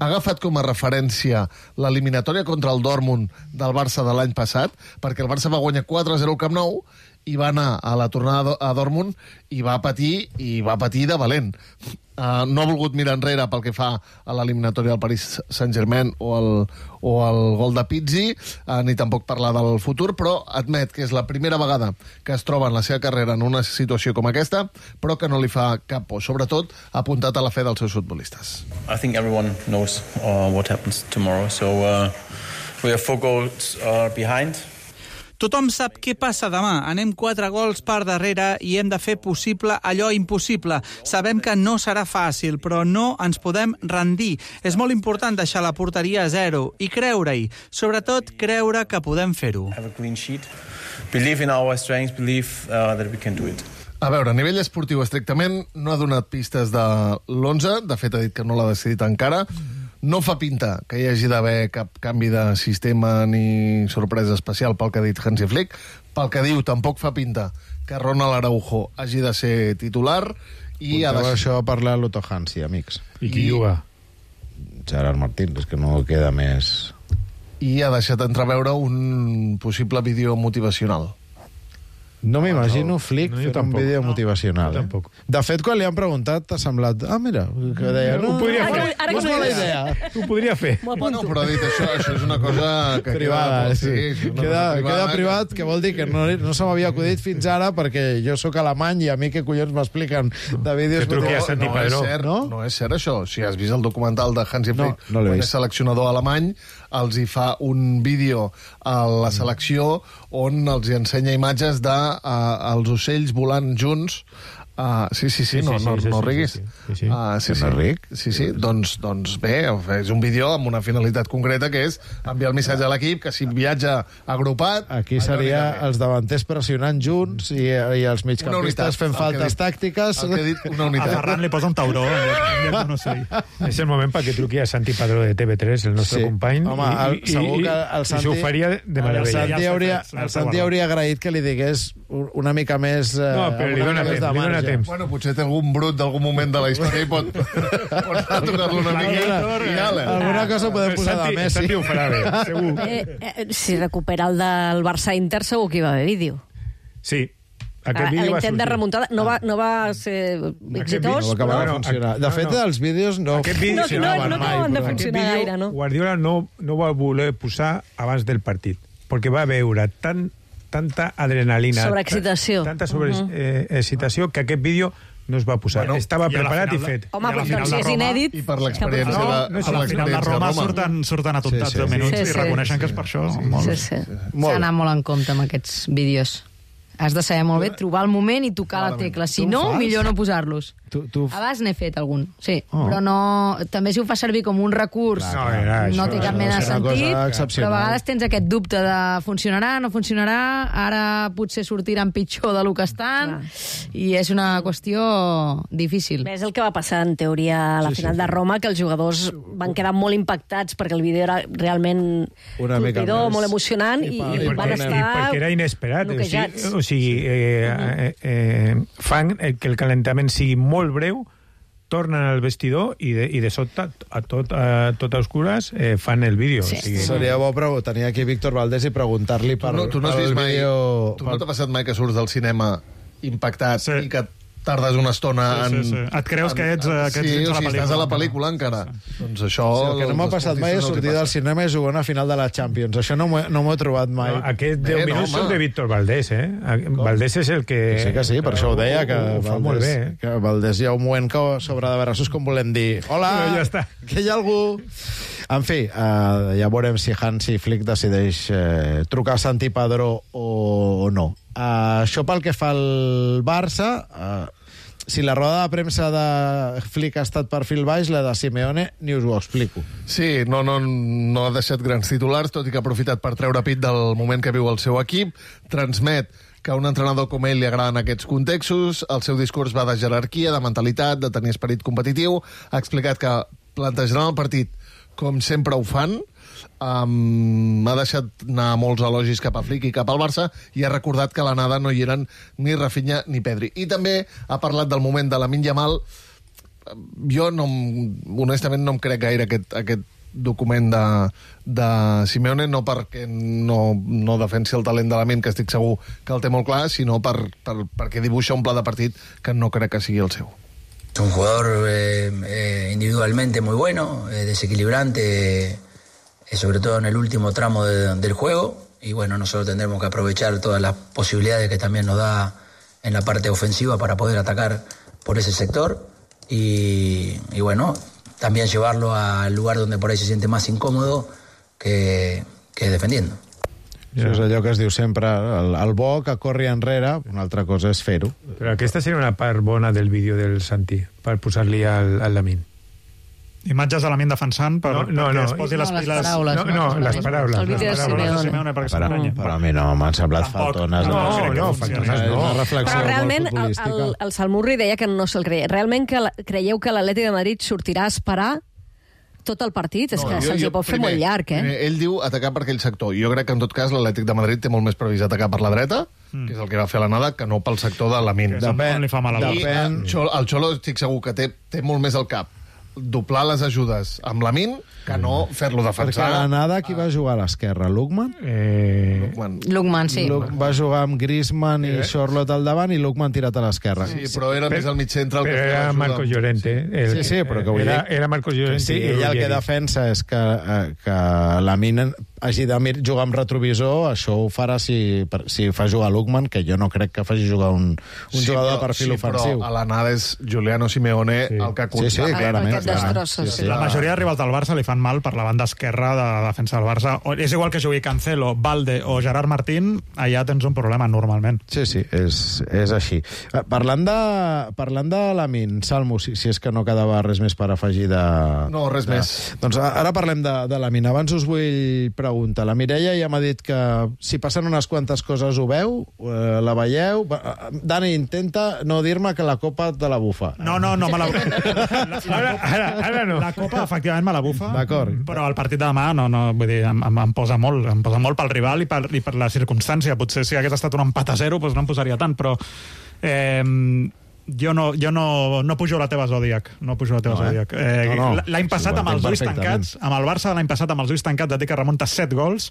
Ha agafat com a referència l'eliminatòria contra el Dortmund del Barça de l'any passat, perquè el Barça va guanyar quatre a zero al Camp Nou i va anar a la tornada a Dortmund i va patir, i va patir de valent. Uh, no ha volgut mirar enrere pel que fa a l'eliminatòria del Paris Saint-Germain o el, o el gol de Pizzi, uh, ni tampoc parlar del futur, però admet que és la primera vegada que es troba en la seva carrera en una situació com aquesta, però que no li fa cap por, sobretot apuntat a la fe dels seus futbolistes. I think everyone knows uh, what happens tomorrow, so uh, we have four goals uh, behind. Tothom sap què passa demà. Anem quatre gols per darrere i hem de fer possible allò impossible. Sabem que no serà fàcil, però no ens podem rendir. És molt important deixar la porteria a zero i creure-hi. Sobretot, creure que podem fer-ho. Have a clean sheet. Believe in our strengths, believe uh, that we can do it. A veure, a nivell esportiu estrictament no ha donat pistes de l'onze, de fet ha dit que no l'ha decidit encara. No fa pinta que hi hagi d'haver cap canvi de sistema ni sorpresa especial pel que ha dit Hansi Flick. Pel que diu, tampoc fa pinta que Ronald Araujo hagi de ser titular. I Porteu ha de... això a parlar a l'Otto Hansi, amics. I qui I... juga? Gerard Martín, és que no queda més... I ha deixat entreveure un possible vídeo motivacional. No m'imagino Flick no, fent un tampoc. vídeo No, motivacional. jo Eh? tampoc. De fet, quan li han preguntat, t'ha semblat... Ah, mira, que deia... Ho podria ara, fer. Ara, no és mala idea. Ho podria fer. Bueno, però dit això, això és una cosa que Privada, queda... sí. és una Queda, cosa queda que- privat, que vol dir que no, no se m'havia acudit fins ara perquè jo sóc alemany i a mi què collons m'expliquen de vídeos... Que truqui a Santi no, Padró. és cert, No? no? no és cert això. Si has vist el documental de Hansi No, Flick, no l'he quan vist. és seleccionador alemany, els hi fa un vídeo a la selecció on els hi ensenya imatges de uh, els ocells volant junts. Uh, sí, sí, sí, Sí, no, sí, no, sí, sí, no sí, riguis. sí, sí, sí. Uh, sí, Que sí. no ric. Sí, sí, doncs, doncs bé, és un vídeo amb una finalitat concreta que és enviar el missatge a l'equip que si viatja agrupat... Aquí seria els davanters pressionant junts i, i els Una unitat, migcampistes fent el que faltes dit- tàctiques. el que he dit, una A unitat. Ferran li posa un tauró en lloc- en lloc d'un ocell. És el moment perquè truqui a Santi Padró de T V tres, el nostre Sí. company, Home, el, i, segur i, que el i Santi... s'ho faria de el meravella. Santi, Ja hauria, està fet, el està Santi guardat. hauria agraït que li digués una mica més... Eh, No, però li una dona mica més temps, de li dona marge. temps. Bueno, potser té algun brut d'algun moment de la història i pot, pot tocar-lo una mica i ale. Alguna cosa podem posar de Santi, Messi. Santi ho farà bé, segur. Eh, eh, si recupera el del Barça Inter, segur que hi va haver vídeo. Sí, Aquest vídeo va L'intent de sortir. remuntada no va, no va ser exitós, No va acabar però... de funcionar. De fet, els vídeos no Aquest vídeo No, no, funcionaven no mai. acaben de però- funcionar Aquest vídeo, gaire, no? Guardiola no, no va voler posar abans del partit, perquè va veure tant, tanta adrenalina, Sobreexcitació. tanta sobreexcitació, que aquest vídeo no es va posar. Bueno, Estava i a la preparat i final de- fet. Home, I a la doncs final si de és Roma- inèdit... I per l'experiència que- de, No, no, per si al final de l'experiència Roma Roma. surten, surten atomptats Sí, sí, de minuts sí, i sí. reconeixen que és per això. Molt Sí, bé. sí. Molt S'ha bé. d'anar molt en compte amb aquests vídeos. Has de saber molt bé trobar el moment i tocar la tecla. Si Tu ho no, fas? millor no posar-los. Tu, tu... A vegades n'he fet algun, sí. Oh. Però no... També si ho fa servir com un recurs, No, era no això, té cap això, mena de és una cosa sentit, però excepcional. a vegades tens aquest dubte de funcionarà, no funcionarà, ara potser sortiran pitjor del que estan, i és una qüestió difícil. Bé, és el que va passar, en teoria, a la Sí, final sí. de Roma, que els jugadors van quedar molt impactats perquè el vídeo era realment Una mica colpidor, més. molt emocionant, i, I i, per- i i van perquè- estar... I perquè era inesperat. O noquejats. sigui, o sigui eh, eh, eh, fan el que el calentament sigui molt breu, tornen al vestidor i de, i de sobte, a tot, a tot a oscures, eh, fan el vídeo. Sí. O sigui, Seria bo pregu- tenir aquí Víctor Valdés i preguntar-li per, Tu no, tu no has pel vist mai... vídeo... Tu no t'ha passat mai que surts del cinema impactat Sí. i que tardes una estona Sí, en... sí, sí. Et creus que ets, eh, que ets sí, dins o de la sigui, estàs a la pel·lícula. pel·lícula encara. Doncs això... Sí, el que no m'ha als passat mai és esportistes no els hi sortir del passa. cinema i jugar una final de la Champions. Això no m'ho he- no m'ho he trobat mai. no, aquests deu Bé, no, minuts home. són de Víctor Valdés, eh? Valdés és el que... Sí que sí, per això ho deia, que ho, ho fa molt bé, eh? que Valdés hi ha un moment que sobre de braços com volem dir hola, Però ja està. que hi ha algú... En fi, eh, ja veurem si Hansi Flick decideix eh, trucar a Santi Padró o, o no. Eh, això pel que fa al Barça... Eh, si la roda de premsa de Flick ha estat per fil baix, la de Simeone ni us ho explico. Sí, no, no, no ha deixat grans titulars, tot i que ha aprofitat per treure pit del moment que viu el seu equip, transmet que a un entrenador com ell li agraden aquests contextos, el seu discurs va de jerarquia, de mentalitat, de tenir esperit competitiu, ha explicat que plantejaran el partit com sempre ho fan, um, ha deixat anar molts elogis cap a Flick i cap al Barça i ha recordat que a l'anada no hi eren ni Rafinha ni Pedri. I també ha parlat del moment de Lamine Yamal. Jo, no, em- honestament, no em crec gaire aquest, aquest document de, de Simeone, no perquè no, no defensi el talent de Lamine, que estic segur que el té molt clar, sinó per, per, perquè dibuixa un pla de partit que no crec que sigui el seu. Es un jugador eh, eh, individualmente muy bueno, eh, desequilibrante, eh, sobre todo en el último tramo de- del juego. Y bueno, nosotros tendremos que aprovechar todas las posibilidades que también nos da en la parte ofensiva para poder atacar por ese sector. Y, y bueno, también llevarlo al lugar donde por ahí se siente más incómodo que, que defendiendo. Això és allò que es diu sempre, el, el bo que corri enrere, una altra cosa és fer-ho. Però aquesta seria una part bona del vídeo del Santi, per posar-li al, al Lamine. Imatges de Lamine defensant per, No, no, perquè no. es posi les No, les piles... paraules, No, no, les paraules. El vídeo les de paraules. Simeone. Simeone perquè Però, s'emprenya. però a mi no m'han semblat Tampoc. faltones. No, crec que no, funcioni. faltones És no. una reflexió Però molt realment el, futbolística. el, el Salmurri deia que no se'l creia. Realment que la, creieu que l'Atlètic de Madrid sortirà a esperar tot el partit? És No, que jo- se'ls hi jo- pot fer primer- molt llarg, eh? primer, Ell diu atacar per aquell sector. Jo crec que, en tot cas, l'Atlètic de Madrid té molt més previst atacar per la dreta, mm. que és el que va fer a l'anada, que no pel sector de Lamine. Que és on- on li fa mal al I Depèn. eh, Xolo- el Xolo estic segur que té, té molt més al cap doblar les ajudes amb Lamine que no fer-lo Perquè defensar. a l'anada qui va jugar a l'esquerra? Lukman? Eh, Lukman. Lukman, sí. Luke va jugar amb Griezmann i Charlotte al davant i Lukman tirat a l'esquerra. Sí, però era més al mig centre el que però feia era l'ajuda. Marcos Llorente. El, Sí, sí, però que vull era, dir... era Marcos Llorente. Sí, i ell el que Ruggeri. defensa és que, eh, que Lamine hagi de mir- jugar amb retrovisor, això ho farà si, per- si fa jugar Lukman, que jo no crec que faci jugar un, un jugador de perfil sí, ofensiu. però a l'anada és Juliano Simeone Sí. el que Sí, sí, contra- clarament. Aquest destrossa, sí. La majoria de rivals del Barça li fan mal per la banda esquerra de la defensa del Barça. O, és igual que jugui Cancelo, Valde o Gerard Martín, allà tens un problema normalment. Sí, sí, és, és així. Eh, Parlant de, parlant de Lamine, Salmo, si, si és que no quedava res més per afegir de... No, res de, més. Doncs a- ara parlem de, de Lamine. Abans us vull preguntar. La Mireia ja m'ha dit que si passen unes quantes coses ho veu, eh, la veieu... Va, eh, Dani, intenta no dir-me que la copa te la bufa. No, no, no me la... la, la, Ara, ara, ara no. La Copa, efectivament, me la bufa. D'acord. Però el partit de demà, no, no, vull dir, em, em, em posa molt. Em posa molt pel rival i per, i per la circumstància. Potser si hagués estat un empat a zero, doncs no em posaria tant, però... Eh, jo no, jo no, no pujo a la teva Zodíac. No pujo a la teva No, eh? Zodíac. Eh, No, no. L'any Sí, passat, ho amb els entenc ulls perfectament. tancats, amb el Barça de l'any passat, amb els ulls tancats, et dic que remunta set gols.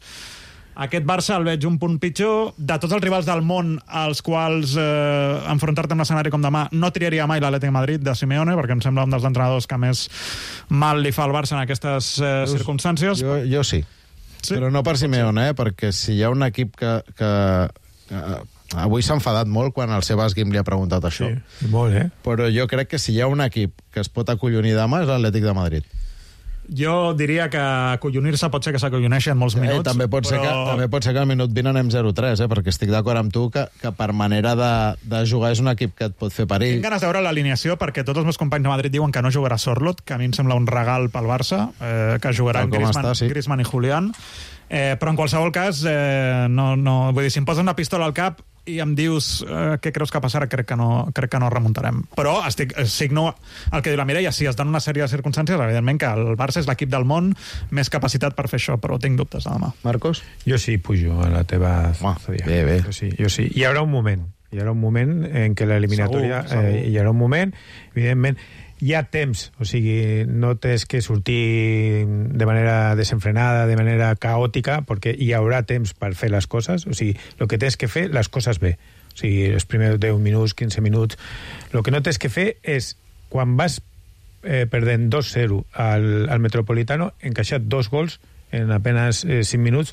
Aquest Barça el veig un punt pitjor. De tots els rivals del món als quals eh, enfrontar-te en un escenari com demà, no triaria mai l'Atlètic Madrid de Simeone, perquè em sembla un dels entrenadors que més mal li fa al Barça en aquestes eh, circumstàncies. Jo, jo sí. sí, però no per Simeone, eh? Perquè si hi ha un equip que... que, que avui s'ha enfadat molt quan el Sebas Guim li ha preguntat això. Sí, molt, eh? Però jo crec que si hi ha un equip que es pot acollonir demà és l'Atlètic de Madrid. Jo diria que acollonir-se pot ser que s'acolloneixi en molts minuts. Eh, també, pot però... ser que, també pot ser que al minut vint anem zero tres, eh? Perquè estic d'acord amb tu que, que per manera de, de jugar és un equip que et pot fer perill. Tinc ganes de veure l'alineació perquè tots els meus companys de Madrid diuen que no jugarà Sorloth, que a mi em sembla un regal pel Barça, eh, que jugaran Griezmann, està, sí. Griezmann i Julián. Eh, però en qualsevol cas, eh, no, no, vull dir, si em posen una pistola al cap i em dius eh, què creus que passarà, crec que no, crec que no remuntarem. Però estic, signo el que diu la Mireia, si es donen una sèrie de circumstàncies, evidentment que el Barça és l'equip del món més capacitat per fer això, però tinc dubtes de demà. Marcos? Jo sí pujo a la teva... Ah, bé, bé. Jo sí, jo sí. Hi haurà un moment, hi haurà un moment en què l'eliminatòria... Eh, hi haurà un moment, evidentment, hi ha temps, o sigui, no tens que sortir de manera desenfrenada, de manera caòtica, perquè hi haurà temps per fer les coses, o sigui, el que tens que fer, les coses bé. O sigui, els primers deu minuts, quinze minuts... El que no tens que fer és, quan vas eh, perdent dos zero al, al Metropolitano, encaixar dos gols en apenas eh, cinc minuts,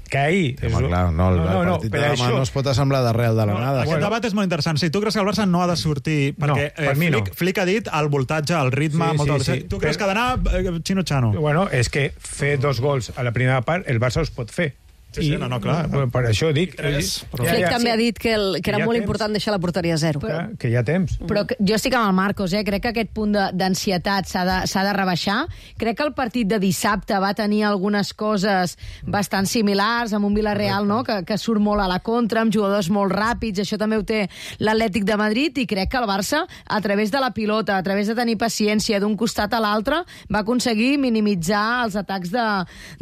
que ahir... Sí, home, clar, no, el, no, no, el partit no, de demà això... no es pot assemblar d'arrel de la no, nada. Aquest bueno. debat és molt interessant. Si tu creus que el Barça no ha de sortir... Perquè no, per eh, mi Flick, no. Flick ha dit el voltatge, el ritme... Sí, molt sí, sí. Tu creus que ha d'anar eh, xino-xano? Bueno, és que fer dos gols a la primera part, el Barça els pot fer. Sí, sí, no, no, clar. Bueno, per això dic... Tres, però... Flick ja, també ha dit que, el, que era molt temps. important deixar la porteria a zero. Que, que hi ha temps. Però que, jo estic amb el Marcos, eh? Crec que aquest punt d'ansietat s'ha de, s'ha de rebaixar. Crec que el partit de dissabte va tenir algunes coses bastant similars, amb un Villarreal, no?, que, que surt molt a la contra, amb jugadors molt ràpids, això també ho té l'Atlètic de Madrid, i crec que el Barça, a través de la pilota, a través de tenir paciència d'un costat a l'altre, va aconseguir minimitzar els atacs de,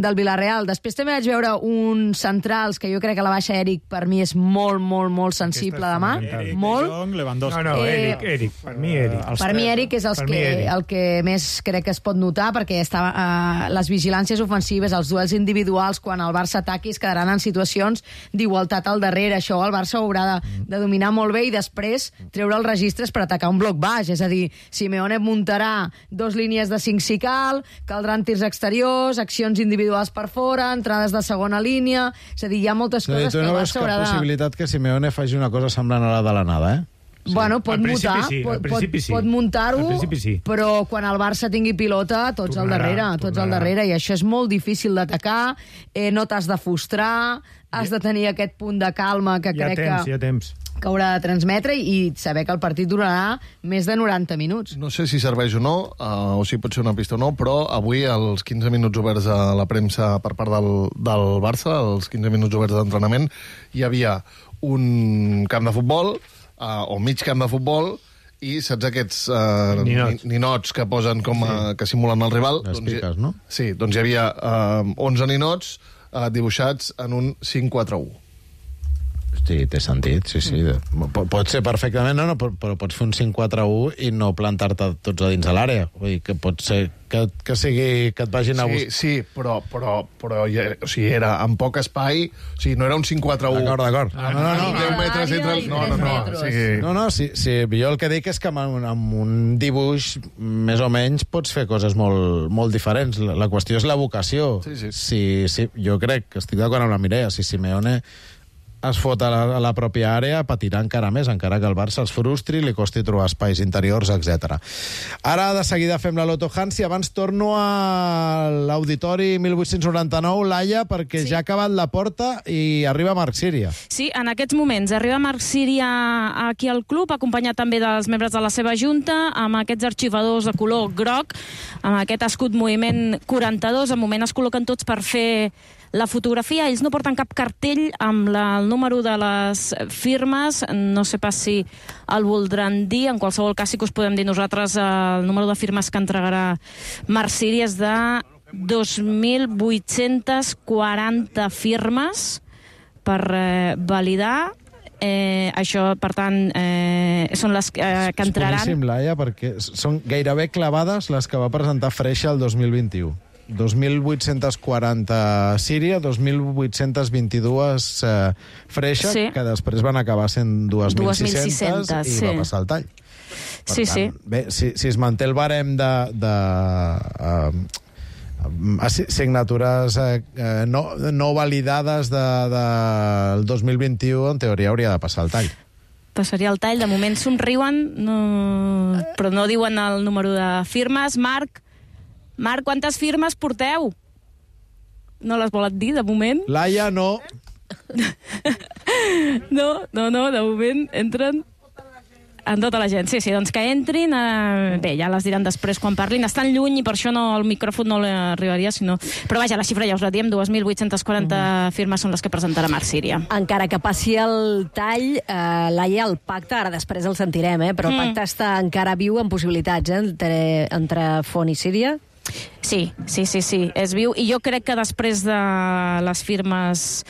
del Villarreal. Després també vaig veure un centrals que jo crec que la baixa Eric per mi és molt, molt, molt sensible demà. Eric, molt. De Jong, Lewandowski. No, no, Eric, Eric. Per mi Eric. Eh, per mi Eric és els que, el que més crec que es pot notar, perquè estava, eh, les vigilàncies ofensives, els duels individuals, quan el Barça ataqui, es quedaran en situacions d'igualtat al darrere. Això el Barça haurà de, de dominar molt bé i després treure els registres per atacar un bloc baix. És a dir, Simeone muntarà dos línies de cinc si cal, caldran tirs exteriors, accions individuals per fora, entrades de segona línia... És a dir, hi ha moltes sí, coses que el Barça haurà de... Tu no veus cap possibilitat que Simeone faci una cosa semblant a la de la nada, eh? Sí. Bueno, pot mutar, sí, pot, pot, sí. pot muntar-ho, sí. però quan el Barça tingui pilota, tots tornarà, al darrere, tots tornarà. al darrere, i això és molt difícil d'atacar, eh, no t'has de frustrar, has de tenir aquest punt de calma que hi ha crec temps, que... hi ha temps. que haurà de transmetre i saber que el partit durarà més de noranta minuts. No sé si serveix o no, uh, o si pot ser una pista o no, però avui, als quinze minuts oberts a la premsa per part del, del Barça, els quinze minuts oberts d'entrenament, hi havia un camp de futbol, uh, o mig camp de futbol, i saps aquests uh, ninots. ninots que posen com a, sí. que simulen el rival? Les doncs piques, hi, no? Sí, doncs hi havia uh, onze ninots uh, dibuixats en un cinc quatre u. Sí, té sentit, sí, sí. Pot, pot ser perfectament, no, no, però, però pots fer un cinc quatre u i no plantar-te tots a dins de l'àrea. Vull dir que pot ser que, que sigui que et vagin a Sí, buscar. sí, però, però, però ja, o sigui, era en poc espai, o sigui, no era un cinc quatre u. D'acord, d'acord. No, no, no, deu metres entre els... No, no, no. O sigui... No, no, sí, sí, jo el que dic és que amb, un- amb un dibuix més o menys pots fer coses molt, molt diferents. La, la qüestió és la vocació. Sí, sí. Si, si, jo crec que estic d'acord amb la Mireia. Si Simeone es fot a la, a la pròpia àrea, patirà encara més, encara que el Barça els frustri, li costi trobar espais interiors, etcètera. Ara, de seguida, fem la Loto Hans i abans torno a l'Auditori mil vuit-cents noranta-nou, Laia, perquè sí. ja ha acabat la porta i arriba Marc Síria. Sí, en aquests moments arriba Marc Síria aquí al club, acompanyat també dels membres de la seva junta, amb aquests arxivadors de color groc, amb aquest escut moviment quaranta-dos. En moment es col·loquen tots per fer la fotografia. Ells no porten cap cartell amb la, el número de les firmes, no sé pas si el voldran dir, en qualsevol cas sí que us podem dir nosaltres el número de firmes que entregarà Marc Síria és de dos mil vuit-cents quaranta firmes per eh, validar. Eh, això, per tant, eh, són les eh, que entraran... És boníssim, Laia, perquè són gairebé clavades les que va presentar Freixa el dos mil vint-i-u. dos mil vuit-cents quaranta Síria, dos mil vuit-cents vint-i-dos eh, Freixa, Sí. que després van acabar sent dos mil sis-cents i sí. va passar el tall. Per Sí, tant, sí. Bé, si, si es manté el barem de, de uh, signatures eh, eh, no, no validades del de, de dos mil vint-i-u, en teoria hauria de passar el tall. Passaria el tall. De moment somriuen, no... però no diuen el número de firmes. Marc, Marc, quantes firmes porteu? No les volen dir, de moment? Laia, no. No, no, no, de moment entren en tota la gent. Sí, sí, doncs que entrin. Eh, bé, ja les diran després quan parlin. Estan lluny i per això no, el micròfon no l'arribaria, sinó... Però vaja, la xifra ja us la diem, dos mil vuit-cents quaranta mm. firmes són les que presentarà Marc Síria. Encara que passi el tall, eh, Laia, el pacte, ara després el sentirem, eh, però el pacte mm. està encara viu en possibilitats, eh, entre, entre Font i Síria. Sí, sí, sí, sí, és viu. I jo crec que després de les firmes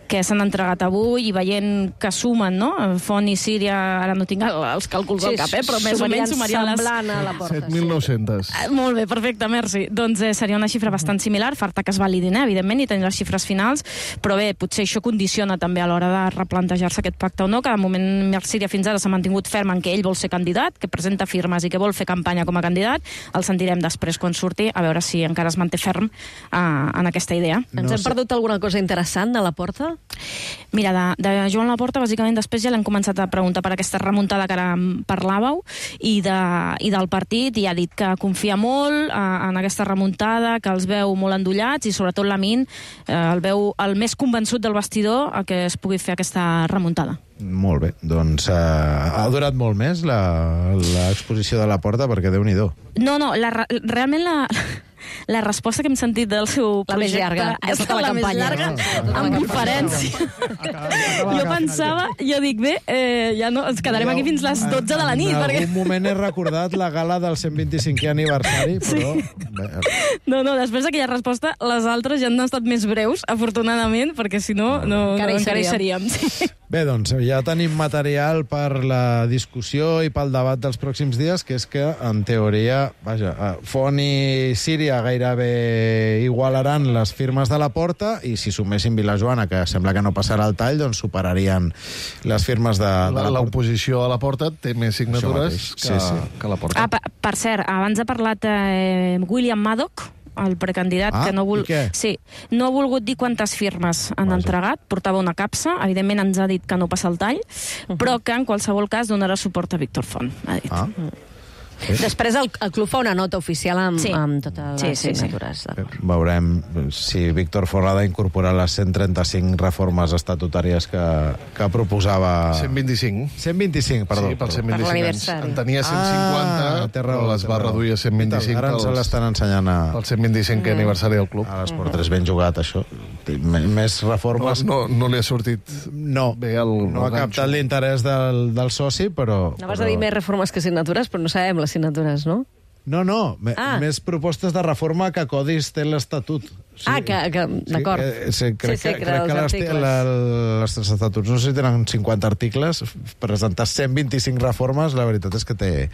que s'han entregat avui i veient que sumen, no? Font i Síria, ara no tinc els càlculs al cap, eh? Però més o menys sumarien les... a la porta. set mil nou-cents. Sí. Molt bé, perfecte, merci. Doncs eh, seria una xifra bastant similar, falta que es validin, eh, evidentment, i tenir les xifres finals, però bé, potser això condiciona també a l'hora de replantejar-se aquest pacte o no, que de moment Marc Síria fins ara s'ha mantingut ferm en que ell vol ser candidat, que presenta firmes i que vol fer campanya com a candidat. El sentirem després quan surti, a veure si encara es manté ferm eh, en aquesta idea. Ens hem perdut alguna cosa interessant a la porta? Mira, de, de Joan Laporta, bàsicament, després ja l'hem començat a preguntar per aquesta remuntada que ara parlàveu i, de, i del partit, i ha dit que confia molt eh, en aquesta remuntada, que els veu molt endollats i sobretot Lamine eh, el veu el més convençut del vestidor a que es pugui fer aquesta remuntada. Molt bé, doncs eh, ha durat molt més l'exposició de la porta, perquè Déu-n'hi-do. No, no, la, realment la... La resposta que hem sentit del seu la més llarga, ha estat la, la més llarga, no, amb diferència. Jo pensava, jo dic, bé, eh, ja no, ens quedarem aquí fins les dotze de la nit. En perquè... algun moment he recordat la gala del cent vint-i-cinquè aniversari, però... Sí. No, no, després d'aquella resposta, les altres ja han estat més breus, afortunadament, perquè si no, no, encara, no, hi encara hi seríem. Sí. Bé, doncs ja tenim material per la discussió i pel debat dels pròxims dies, que és que, en teoria, vaja, Font i Síria gairebé igualaran les firmes de la porta i si sumessin Vilajoana, que sembla que no passarà el tall, doncs superarien les firmes de, de la porta. L'oposició a la porta té més signatures que, sí, sí. que la porta. Ah, per, per cert, abans ha parlat eh, William Maddock, el precandidat, ah, que no, vol... sí, no ha volgut dir quantes firmes han Vaja. entregat, portava una capsa, evidentment ens ha dit que no passa el tall, uh -huh. però que en qualsevol cas donarà suport a Víctor Font, ha dit. Ah. Sí. Després el, el club fa una nota oficial amb, sí. amb totes les sí, sí, signatures. Sí. Veurem si Víctor Font ha d'incorporar les cent trenta-cinc reformes estatutàries que, que proposava... cent vint-i-cinc. cent vint-i-cinc, perdó. Sí, per cent vint-i-cinc per anys. En tenia cent cinquanta, ah, però les va reduir a cent vint-i-cinc. Ara ens l'estan ensenyant a... Pel cent vint-i-cinquè mm. aniversari del club. A l'Esport tres, ben jugat, això. Més reformes... No, no, no li ha sortit no, bé el... No el ha captat l'interès del, del soci, però... Anaves però... a dir més reformes que signatures, però no sabem les signatures, no? No, no, ah. més propostes de reforma que codis té l'Estatut. Sí. Ah, que, que d'acord. Sí, sí, crec sí, sí, que, crec que les, la, les estatuts, no sé si tenen cinquanta articles, presentar cent vint-i-cinc reformes, la veritat és que té,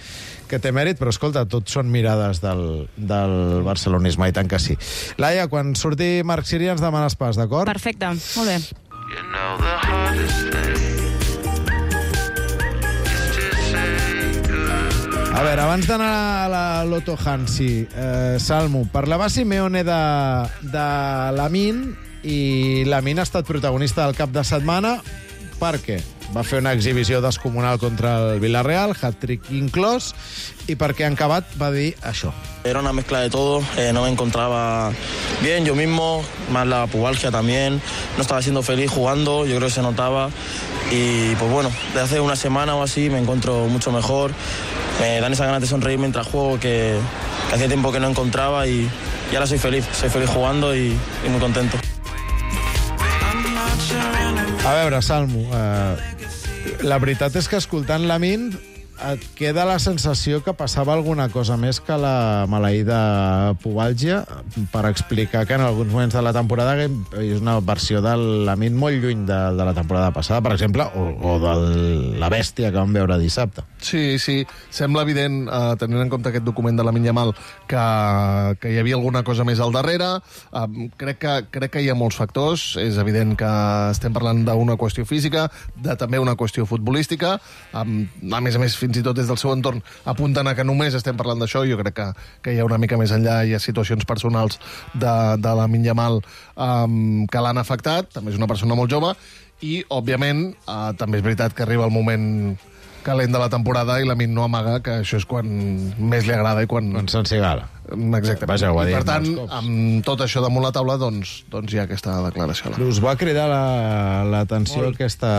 que té mèrit, però escolta, tot són mirades del, del barcelonisme, i tant que sí. Laia, quan surti Marc Síria ens demanes pas, d'acord? Perfecte, molt bé. You know the hardest thing. A veure, abans d'anar a la Loto Hansi, eh, Salmo, parlava Simeone de, de Lamine, i Lamine ha estat protagonista del cap de setmana perquè va fer una exhibició descomunal contra el Villarreal, hat-trick inclòs, i perquè en acabat va dir això. Era una mezcla de todo, eh, no me encontraba bien yo mismo, más la pubalgia también, no estaba siendo feliz jugando, yo creo que se notaba, y pues bueno, desde hace una semana o así me encuentro mucho mejor, me dan esa ganas de sonreír mientras juego que, que hacía tiempo que no encontraba, y, y ahora soy feliz, soy feliz jugando y, y muy contento. A veure, Salmo, eh, la veritat és que escoltant Lamine et queda la sensació que passava alguna cosa més que la maleïda pubalgia per explicar que en alguns moments de la temporada és una versió de Lamine molt lluny de, de la temporada passada, per exemple, o, o de la bèstia que vam veure dissabte. Sí, sí. Sembla evident, eh, tenint en compte aquest document de Lamine Yamal, que, que hi havia alguna cosa més al darrere. Eh, crec, que, crec que hi ha molts factors. És evident que estem parlant d'una qüestió física, de també una qüestió futbolística. Eh, a més a més, fins i tot des del seu entorn apunten a que només estem parlant d'això. Jo crec que, que hi ha una mica més enllà, hi ha situacions personals de, de Lamine Yamal um, que l'han afectat. També és una persona molt jove i, òbviament, uh, també és veritat que arriba el moment calent de la temporada i Lamine no amaga que això és quan més li agrada i quan... Quan s'encigala. Exactament. Vaja, ho ha dit I, per tant, molts cops. amb tot això damunt la taula, doncs, doncs hi ha aquesta declaració. Us va cridar l'atenció la, aquesta...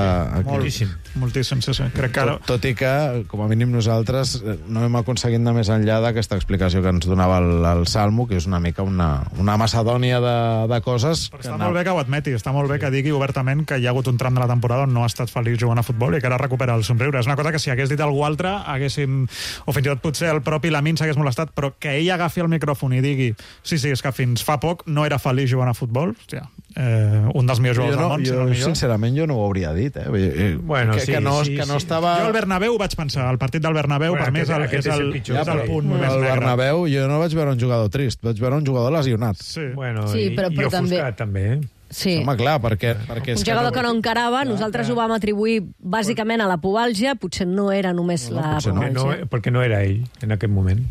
Moltíssim. Moltíssim, sí, sí. Crec que ara... Tot, tot i que, com a mínim nosaltres, no hem aconseguit anar més enllà d'aquesta explicació que ens donava el, el Salmo, que és una mica una, una macedònia de, de coses... Però està molt bé que ho admeti, està molt bé que digui obertament que hi ha hagut un tram de la temporada on no ha estat feliç jugant a futbol i que ara recupera el somriure. És una cosa que si hagués dit algú altre, haguéssim... O fins i tot potser el propi Lamine s'hagués molestat, però que ell agafi el micròfon i digui sí, sí, és que fins fa poc no era feliç jugant a futbol, hòstia, eh, un dels millors jugadors no, del món, jo, si no el millor. Sincerament, jo no ho hauria dit, eh? Bueno, que, sí, que no, sí, que no sí. estava... Jo al Bernabéu vaig pensar, el partit del Bernabéu, Bueno, per mi és el, aquest és el, és el pitjor, és el ja, punt més el negre. Bernabéu, jo no vaig veure un jugador trist, vaig veure un jugador lesionat. Sí, bueno, Sí, però- i, però i també- ofuscat, també, eh? Sí. Home, clar, perquè... perquè Un jugador que no encarava, nosaltres ho vam atribuir bàsicament a la pubalgia, potser no era només No, la potser no, pubalgia. no, perquè no era ell en aquest moment.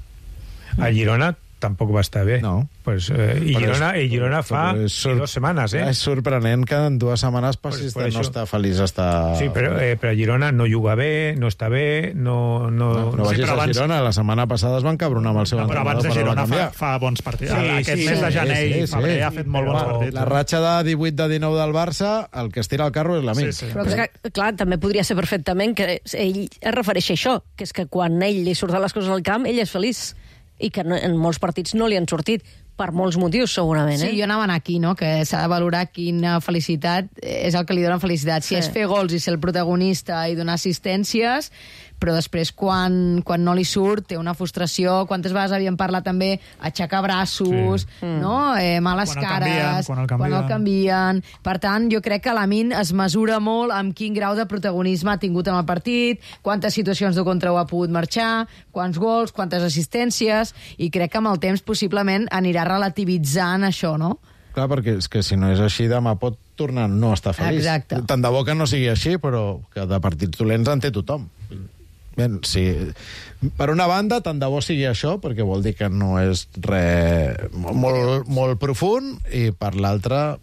A Girona tampoc va estar bé. No. Pues, eh, I, Però Girona, és- I Girona fa però és sor- dos setmanes, eh? És sorprenent que en dues setmanes passis Per- per de no això. estar feliç a estar... Sí, però, eh, però Girona no juga bé, no està bé, no... no, No, no vagis però a abans- Girona, la setmana passada es van cabronar amb el seu No, però abans de entrenador per Girona a fa, fa bons partits. Sí, Aquest sí, mes de sí, gener sí, i sí, febrer sí. ha fet molt bons Home, partits. La ratxa de divuit de dinou del Barça, el que estira el carro és l'amic. Sí, sí. Però és que, clar, també podria ser perfectament que ell es refereix a això, que és que quan ell li surten les coses al camp, ell és feliç. I que no, en molts partits no li han sortit, per molts motius, segurament. Eh? Sí, jo anava aquí, no?, que s'ha de valorar quina felicitat és el que li dona felicitat. Si Sí. és fer gols i ser el protagonista i donar assistències, però després quan, quan no li surt té una frustració. Quantes vegades havíem parlat també aixecar braços, Sí. no? Eh, males Quan el cares, canvien, quan el canvien. quan el canvien. Per tant, jo crec que Lamine es mesura molt amb quin grau de protagonisme ha tingut en el partit, quantes situacions de contra ho ha pogut marxar, quants gols, quantes assistències, i crec que amb el temps possiblement anirà relativitzant això, no? Clar, perquè és que si no és així, demà pot tornar a no estar feliç. Exacte. Tant de bo que no sigui així, però que de partits dolents en té tothom. Bé, sí. Per una banda, tant de bo sigui això, perquè vol dir que no és res molt, molt profund, i per l'altra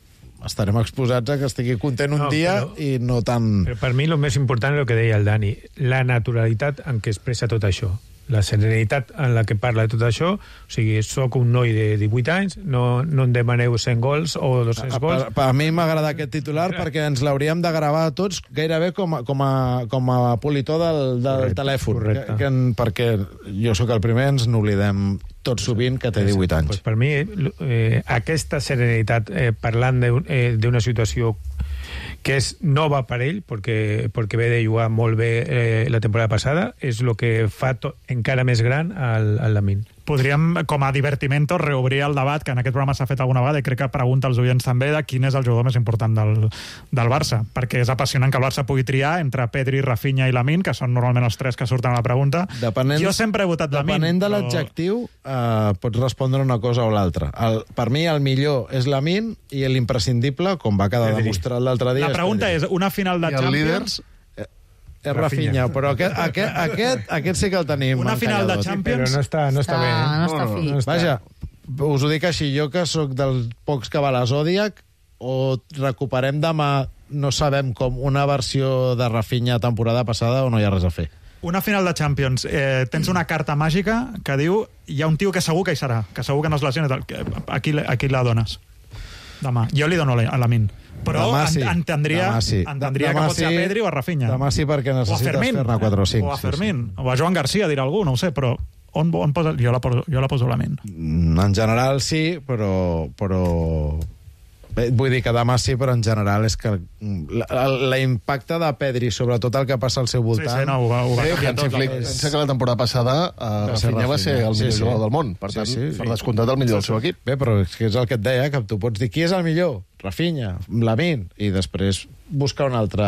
estarem exposats a que estigui content un No, dia però- i no tan... Però per mi el més important és el que deia el Dani, la naturalitat en què expressa tot això, la serenitat en la que parla de tot això. O sigui, sóc un noi de divuit anys, no, no em demaneu cent gols o dos-cents gols. Per, per a mi m'agrada aquest titular perquè ens l'hauríem de gravar tots gairebé com a, com a, com a politó del, del Correcte, telèfon. correcte. Que, que, en- perquè jo sóc el primer, ens n'oblidem tot sovint que té divuit anys. Pues per mi, eh, aquesta serenitat, eh, parlant d'un- eh, d'una situació que és nova per ell, perquè, perquè ve de jugar molt bé eh, la temporada passada, és el que fa to, encara més gran al, al Lamine. Podríem, com a divertimento, reobrir el debat que en aquest programa s'ha fet alguna vegada, i crec que pregunta als oients també, de quin és el jugador més important del, del Barça, perquè és apassionant que el Barça pugui triar entre Pedri, Rafinha i Lamine, que són normalment els tres que surten a la pregunta. Depenent, jo sempre he votat Lamine. Depenent de però- l'adjectiu, eh, pots respondre una cosa o l'altra. El- Per mi, el millor és Lamine i l'imprescindible, com va quedar Pedri. demostrat l'altre dia... La pregunta és, una final de I el Champions... És Rafinha, però aquest, aquest, aquest, aquest sí que el tenim Una final de encalladot. Champions... Però no està, no està, Està- bé. Eh? no està fi. no està. Vaja, us ho dic així, jo que sóc dels pocs que va a la Zodiac, o recuperem demà, no sabem com, una versió de Rafinha temporada passada o no hi ha res a fer. Una final de Champions, eh, tens una carta màgica que diu hi ha un tio que segur que hi serà, que segur que no es lesiona, tal. Que- a qui, a qui la dones? Demà. Jo li dono a Lamine. Però Demà en- sí. entendria, Demà sí. entendria Demà que pot ser a sí. Pedri o a Rafinha. Demà sí, perquè O a necessites Fermín. fer-ne quatre o cinc. O a sí, Fermín. O a Joan Garcia, dirà algú, no ho sé, però on, on posa, jo, la poso, jo la poso a Lamine. Mm, En general sí, però, però Vull dir que demà sí, però en general és que l'impacte de Pedri sobre tot el que passa al seu voltant... Sí, sí, no, ho va, ho va sí, canviar tot. Flick, pensa que la temporada passada uh, Rafinha va ser el millor sí, sí. jugador del món. Per tant, sí, sí, per descomptat el millor sí, del seu equip. Bé, però és, que és el que et deia, que tu pots dir qui és el millor? Rafinha, Lamine, i després buscar un altre,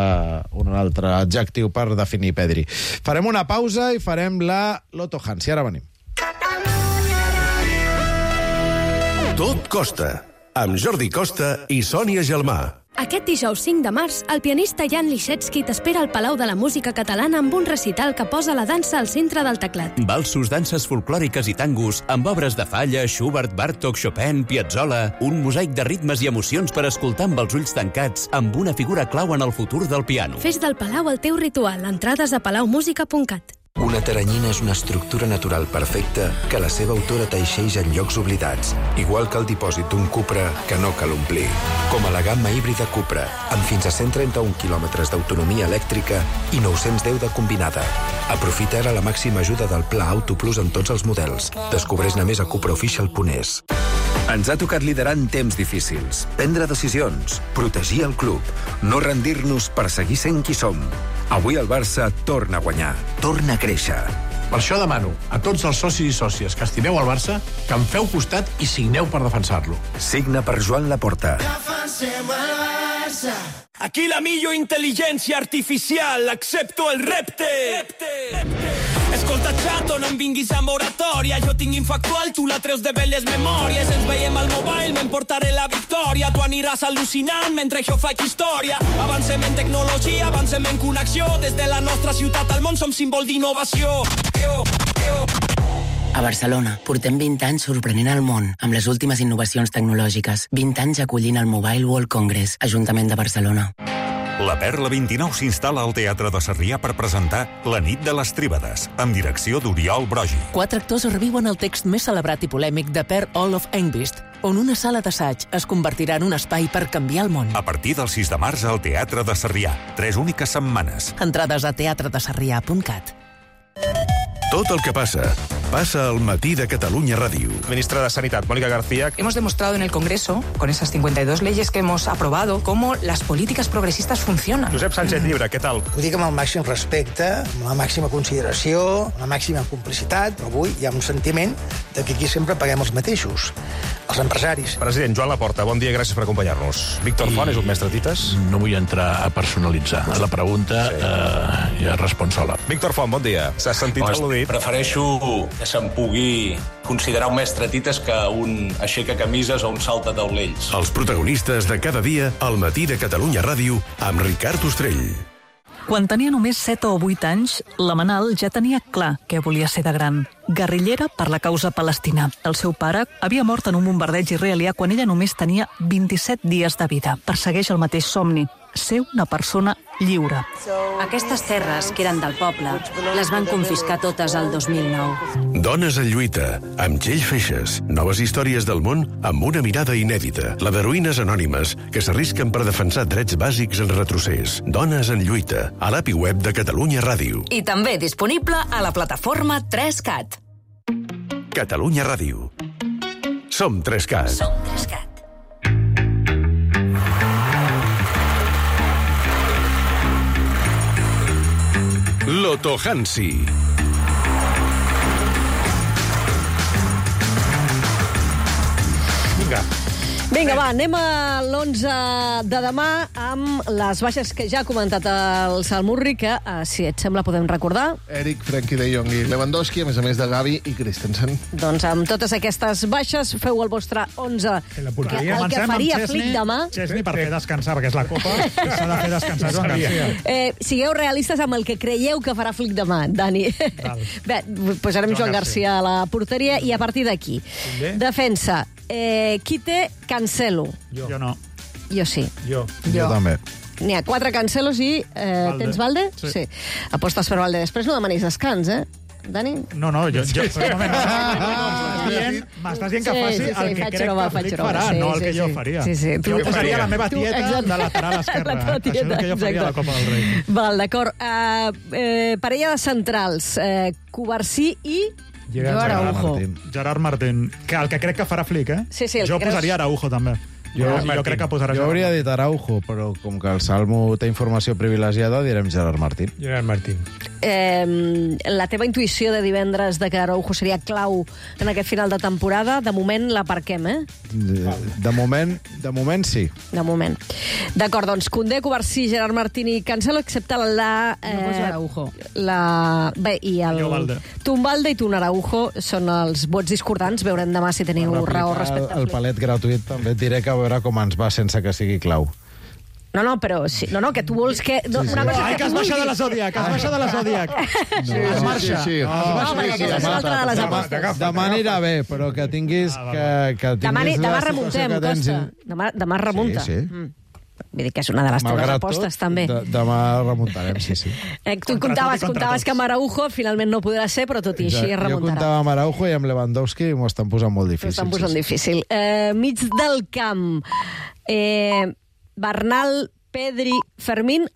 un altre adjectiu per definir Pedri. Farem una pausa i farem la Loto Hans. I ara venim. Tot costa, amb Jordi Costa i Sònia Gelmà. Aquest dijous cinc de març, el pianista Jan Liszewski t'espera al Palau de la Música Catalana amb un recital que posa la dansa al centre del teclat. Valsos, danses folclòriques i tangos, amb obres de Falla, Schubert, Bartók, Chopin, Piazzolla, un mosaic de ritmes i emocions per escoltar amb els ulls tancats, amb una figura clau en el futur del piano. Fes del Palau el teu ritual. Entrades a palaumusica punt cat. Una teranyina és una estructura natural perfecta que la seva autora teixeix en llocs oblidats, igual que el dipòsit d'un Cupra que no cal omplir. Com a la gamma híbrida Cupra, amb fins a cent trenta-un quilòmetres d'autonomia elèctrica i nou-cents deu de combinada. Aprofita ara la màxima ajuda del Pla Auto Plus en tots els models. Descobreix-ne més a cupraofficial punt es. Ens ha tocat liderar en temps difícils, prendre decisions, protegir el club, no rendir-nos per seguir sent qui som. Avui el Barça torna a guanyar, torna a créixer. Per això demano a tots els socis i sòcies que estimeu el Barça que em feu costat i signeu per defensar-lo. Signa per Joan Laporta. Defensem el Barça. Aquí la millor intel·ligència artificial, accepto el repte. repte. repte. Escolta, xato, no em vinguis amb oratòria. Jo tinc infactual, tu la treus de belles memòries. Ens veiem al mobile, m'emportaré la victòria. Tu aniràs al·lucinant mentre jo faig història. Avancem en tecnologia, avancem en connexió. Des de la nostra ciutat al món som símbol d'innovació. Yo, yo. A Barcelona portem vint anys sorprenent el món amb les últimes innovacions tecnològiques. vint anys acollint el Mobile World Congress, Ajuntament de Barcelona. La Perla vint-i-nou s'instal·la al Teatre de Sarrià per presentar La nit de les Tríbades, amb direcció d'Oriol Brogi. Quatre actors reviuen el text més celebrat i polèmic de Per Olof Engvist, on una sala d'assaig es convertirà en un espai per canviar el món. A partir del sis de març al Teatre de Sarrià. Tres úniques setmanes. Entrades a teatre de sarrià punt cat. Tot el que passa, pasa al matí de Catalunya Ràdio. Ministra de Sanidad, Mónica García. Hemos demostrado en el Congreso, con esas cincuenta y dos leyes que hemos aprobado, cómo las políticas progresistas funcionan. Josep Sánchez Llibre, què tal? Ho dic amb el màxim respecte, amb la màxima consideració, amb la màxima complicitat, però avui hi ha un sentiment de que aquí sempre paguem els mateixos, els empresaris. President Joan Laporta, bon dia i gràcies per acompanyar-nos. Víctor I... Font és un mestre tites? No vull entrar a personalitzar. La pregunta sí. eh, ja respon sola. Víctor Font, bon dia. S'ha sentit al·ludit? Prefereixo que se'n pugui considerar un mestre tites que un aixeca camises o un salta taulells. Els protagonistes de cada dia al matí de Catalunya Ràdio amb Ricard Ostrell. Quan tenia només set o vuit anys, la Manal ja tenia clar què volia ser de gran. Guerrillera per la causa palestina. El seu pare havia mort en un bombardeig israelià quan ella només tenia vint-i-set dies de vida. Persegueix el mateix somni, ser una persona lliure. Aquestes terres, que eren del poble, les van confiscar totes el dos mil nou. Dones en lluita, amb Txell Feixes. Noves històries del món amb una mirada inèdita. La d'heroïnes anònimes que s'arrisquen per defensar drets bàsics en retrocés. Dones en lluita, a l'API web de Catalunya Ràdio. I també disponible a la plataforma tres cat. Catalunya Ràdio. Som tres cat. Som tres cat. Loto Hansi. Vinga. Vinga, va, anem a l'onze de demà amb les baixes que ja ha comentat el Salmurri, que, eh, si et sembla, podem recordar. Eric, Frenkie de Jong i Lewandowski, a més a més de Gavi i Christensen. Doncs amb totes aquestes baixes feu el vostre onze. Que la que, el que faria Flick demà... Chesney per fer descansar, perquè és la Copa, que s'ha de fer descansar Joan Garcia. Eh, sigueu realistes amb el que creieu que farà Flick demà, Dani. Bé, posarem Joan, Joan Garcia a la porteria i a partir d'aquí. Defensa. Eh, qui té Cancelo? Jo. jo no. Jo sí. Jo. Jo, jo també. N'hi ha quatre Cancelos i... Eh, Valde. Tens Valde? Sí. sí. Apostes per Valde. Després no demanis descans, eh? Dani? No, no, jo... jo sí. M'estàs dient que faci sí, sí, sí, el que crec que Flick farà, sí, no el que sí, jo faria. Sí, sí. Tu, jo faria la meva tieta tu, de lateral esquerra. La tieta, això és el que jo faria a la Copa del Rei. Val, d'acord. Uh, eh, parella de centrals. Eh, Covarsí i... Gerard Araujo. Gerard Martín. Que el que crec que farà Flick, eh? Sí, sí, jo posaria creus... Araujo, també. Jo, jo crec que posarà jo hauria dit Araujo, però com que el Salmo té informació privilegiada, direm Gerard Martín. Gerard Martín. Eh, la teva intuïció de divendres de que Araujo seria clau en aquest final de temporada, de moment l'aparquem, eh? De, de, moment, de moment sí. De moment. D'acord, doncs Koundé, Covarsí, Gerard Martín i Cancelo, excepte la... Eh, no poso Araujo. La, bé, i el... Tumbalde i Tun Araujo són els vots discordants. Veurem demà si teniu raó respecte al... El palet gratuït també et diré que a veure com ens va sense que sigui clau. No, no, però... Sí, no, no, que tu vols que... No, sí, sí. Una cosa Ai, que es baixa de la Zodiac, que es baixa de la Zodiac. Sí, sí, sí, sí. No, perquè aquesta és l'altra de les apostes. Demà anirà bé, però que tinguis... Que, que tinguis demà remuntem, Costa. Demà, demà remunta. Sí, sí. Mm. Vull dir que és una de les teves apostes, també. De, demà remuntarem, sí, sí. Eh, tu comptaves, comptaves que amb Araujo finalment no podrà ser, però tot i així ja, remuntarà. Jo comptava amb Araujo i amb Lewandowski i m'ho estan posant molt difícil. M'ho estan posant sí, difícil. Eh, mig del camp, eh, Bernal, Pedri, Fermín...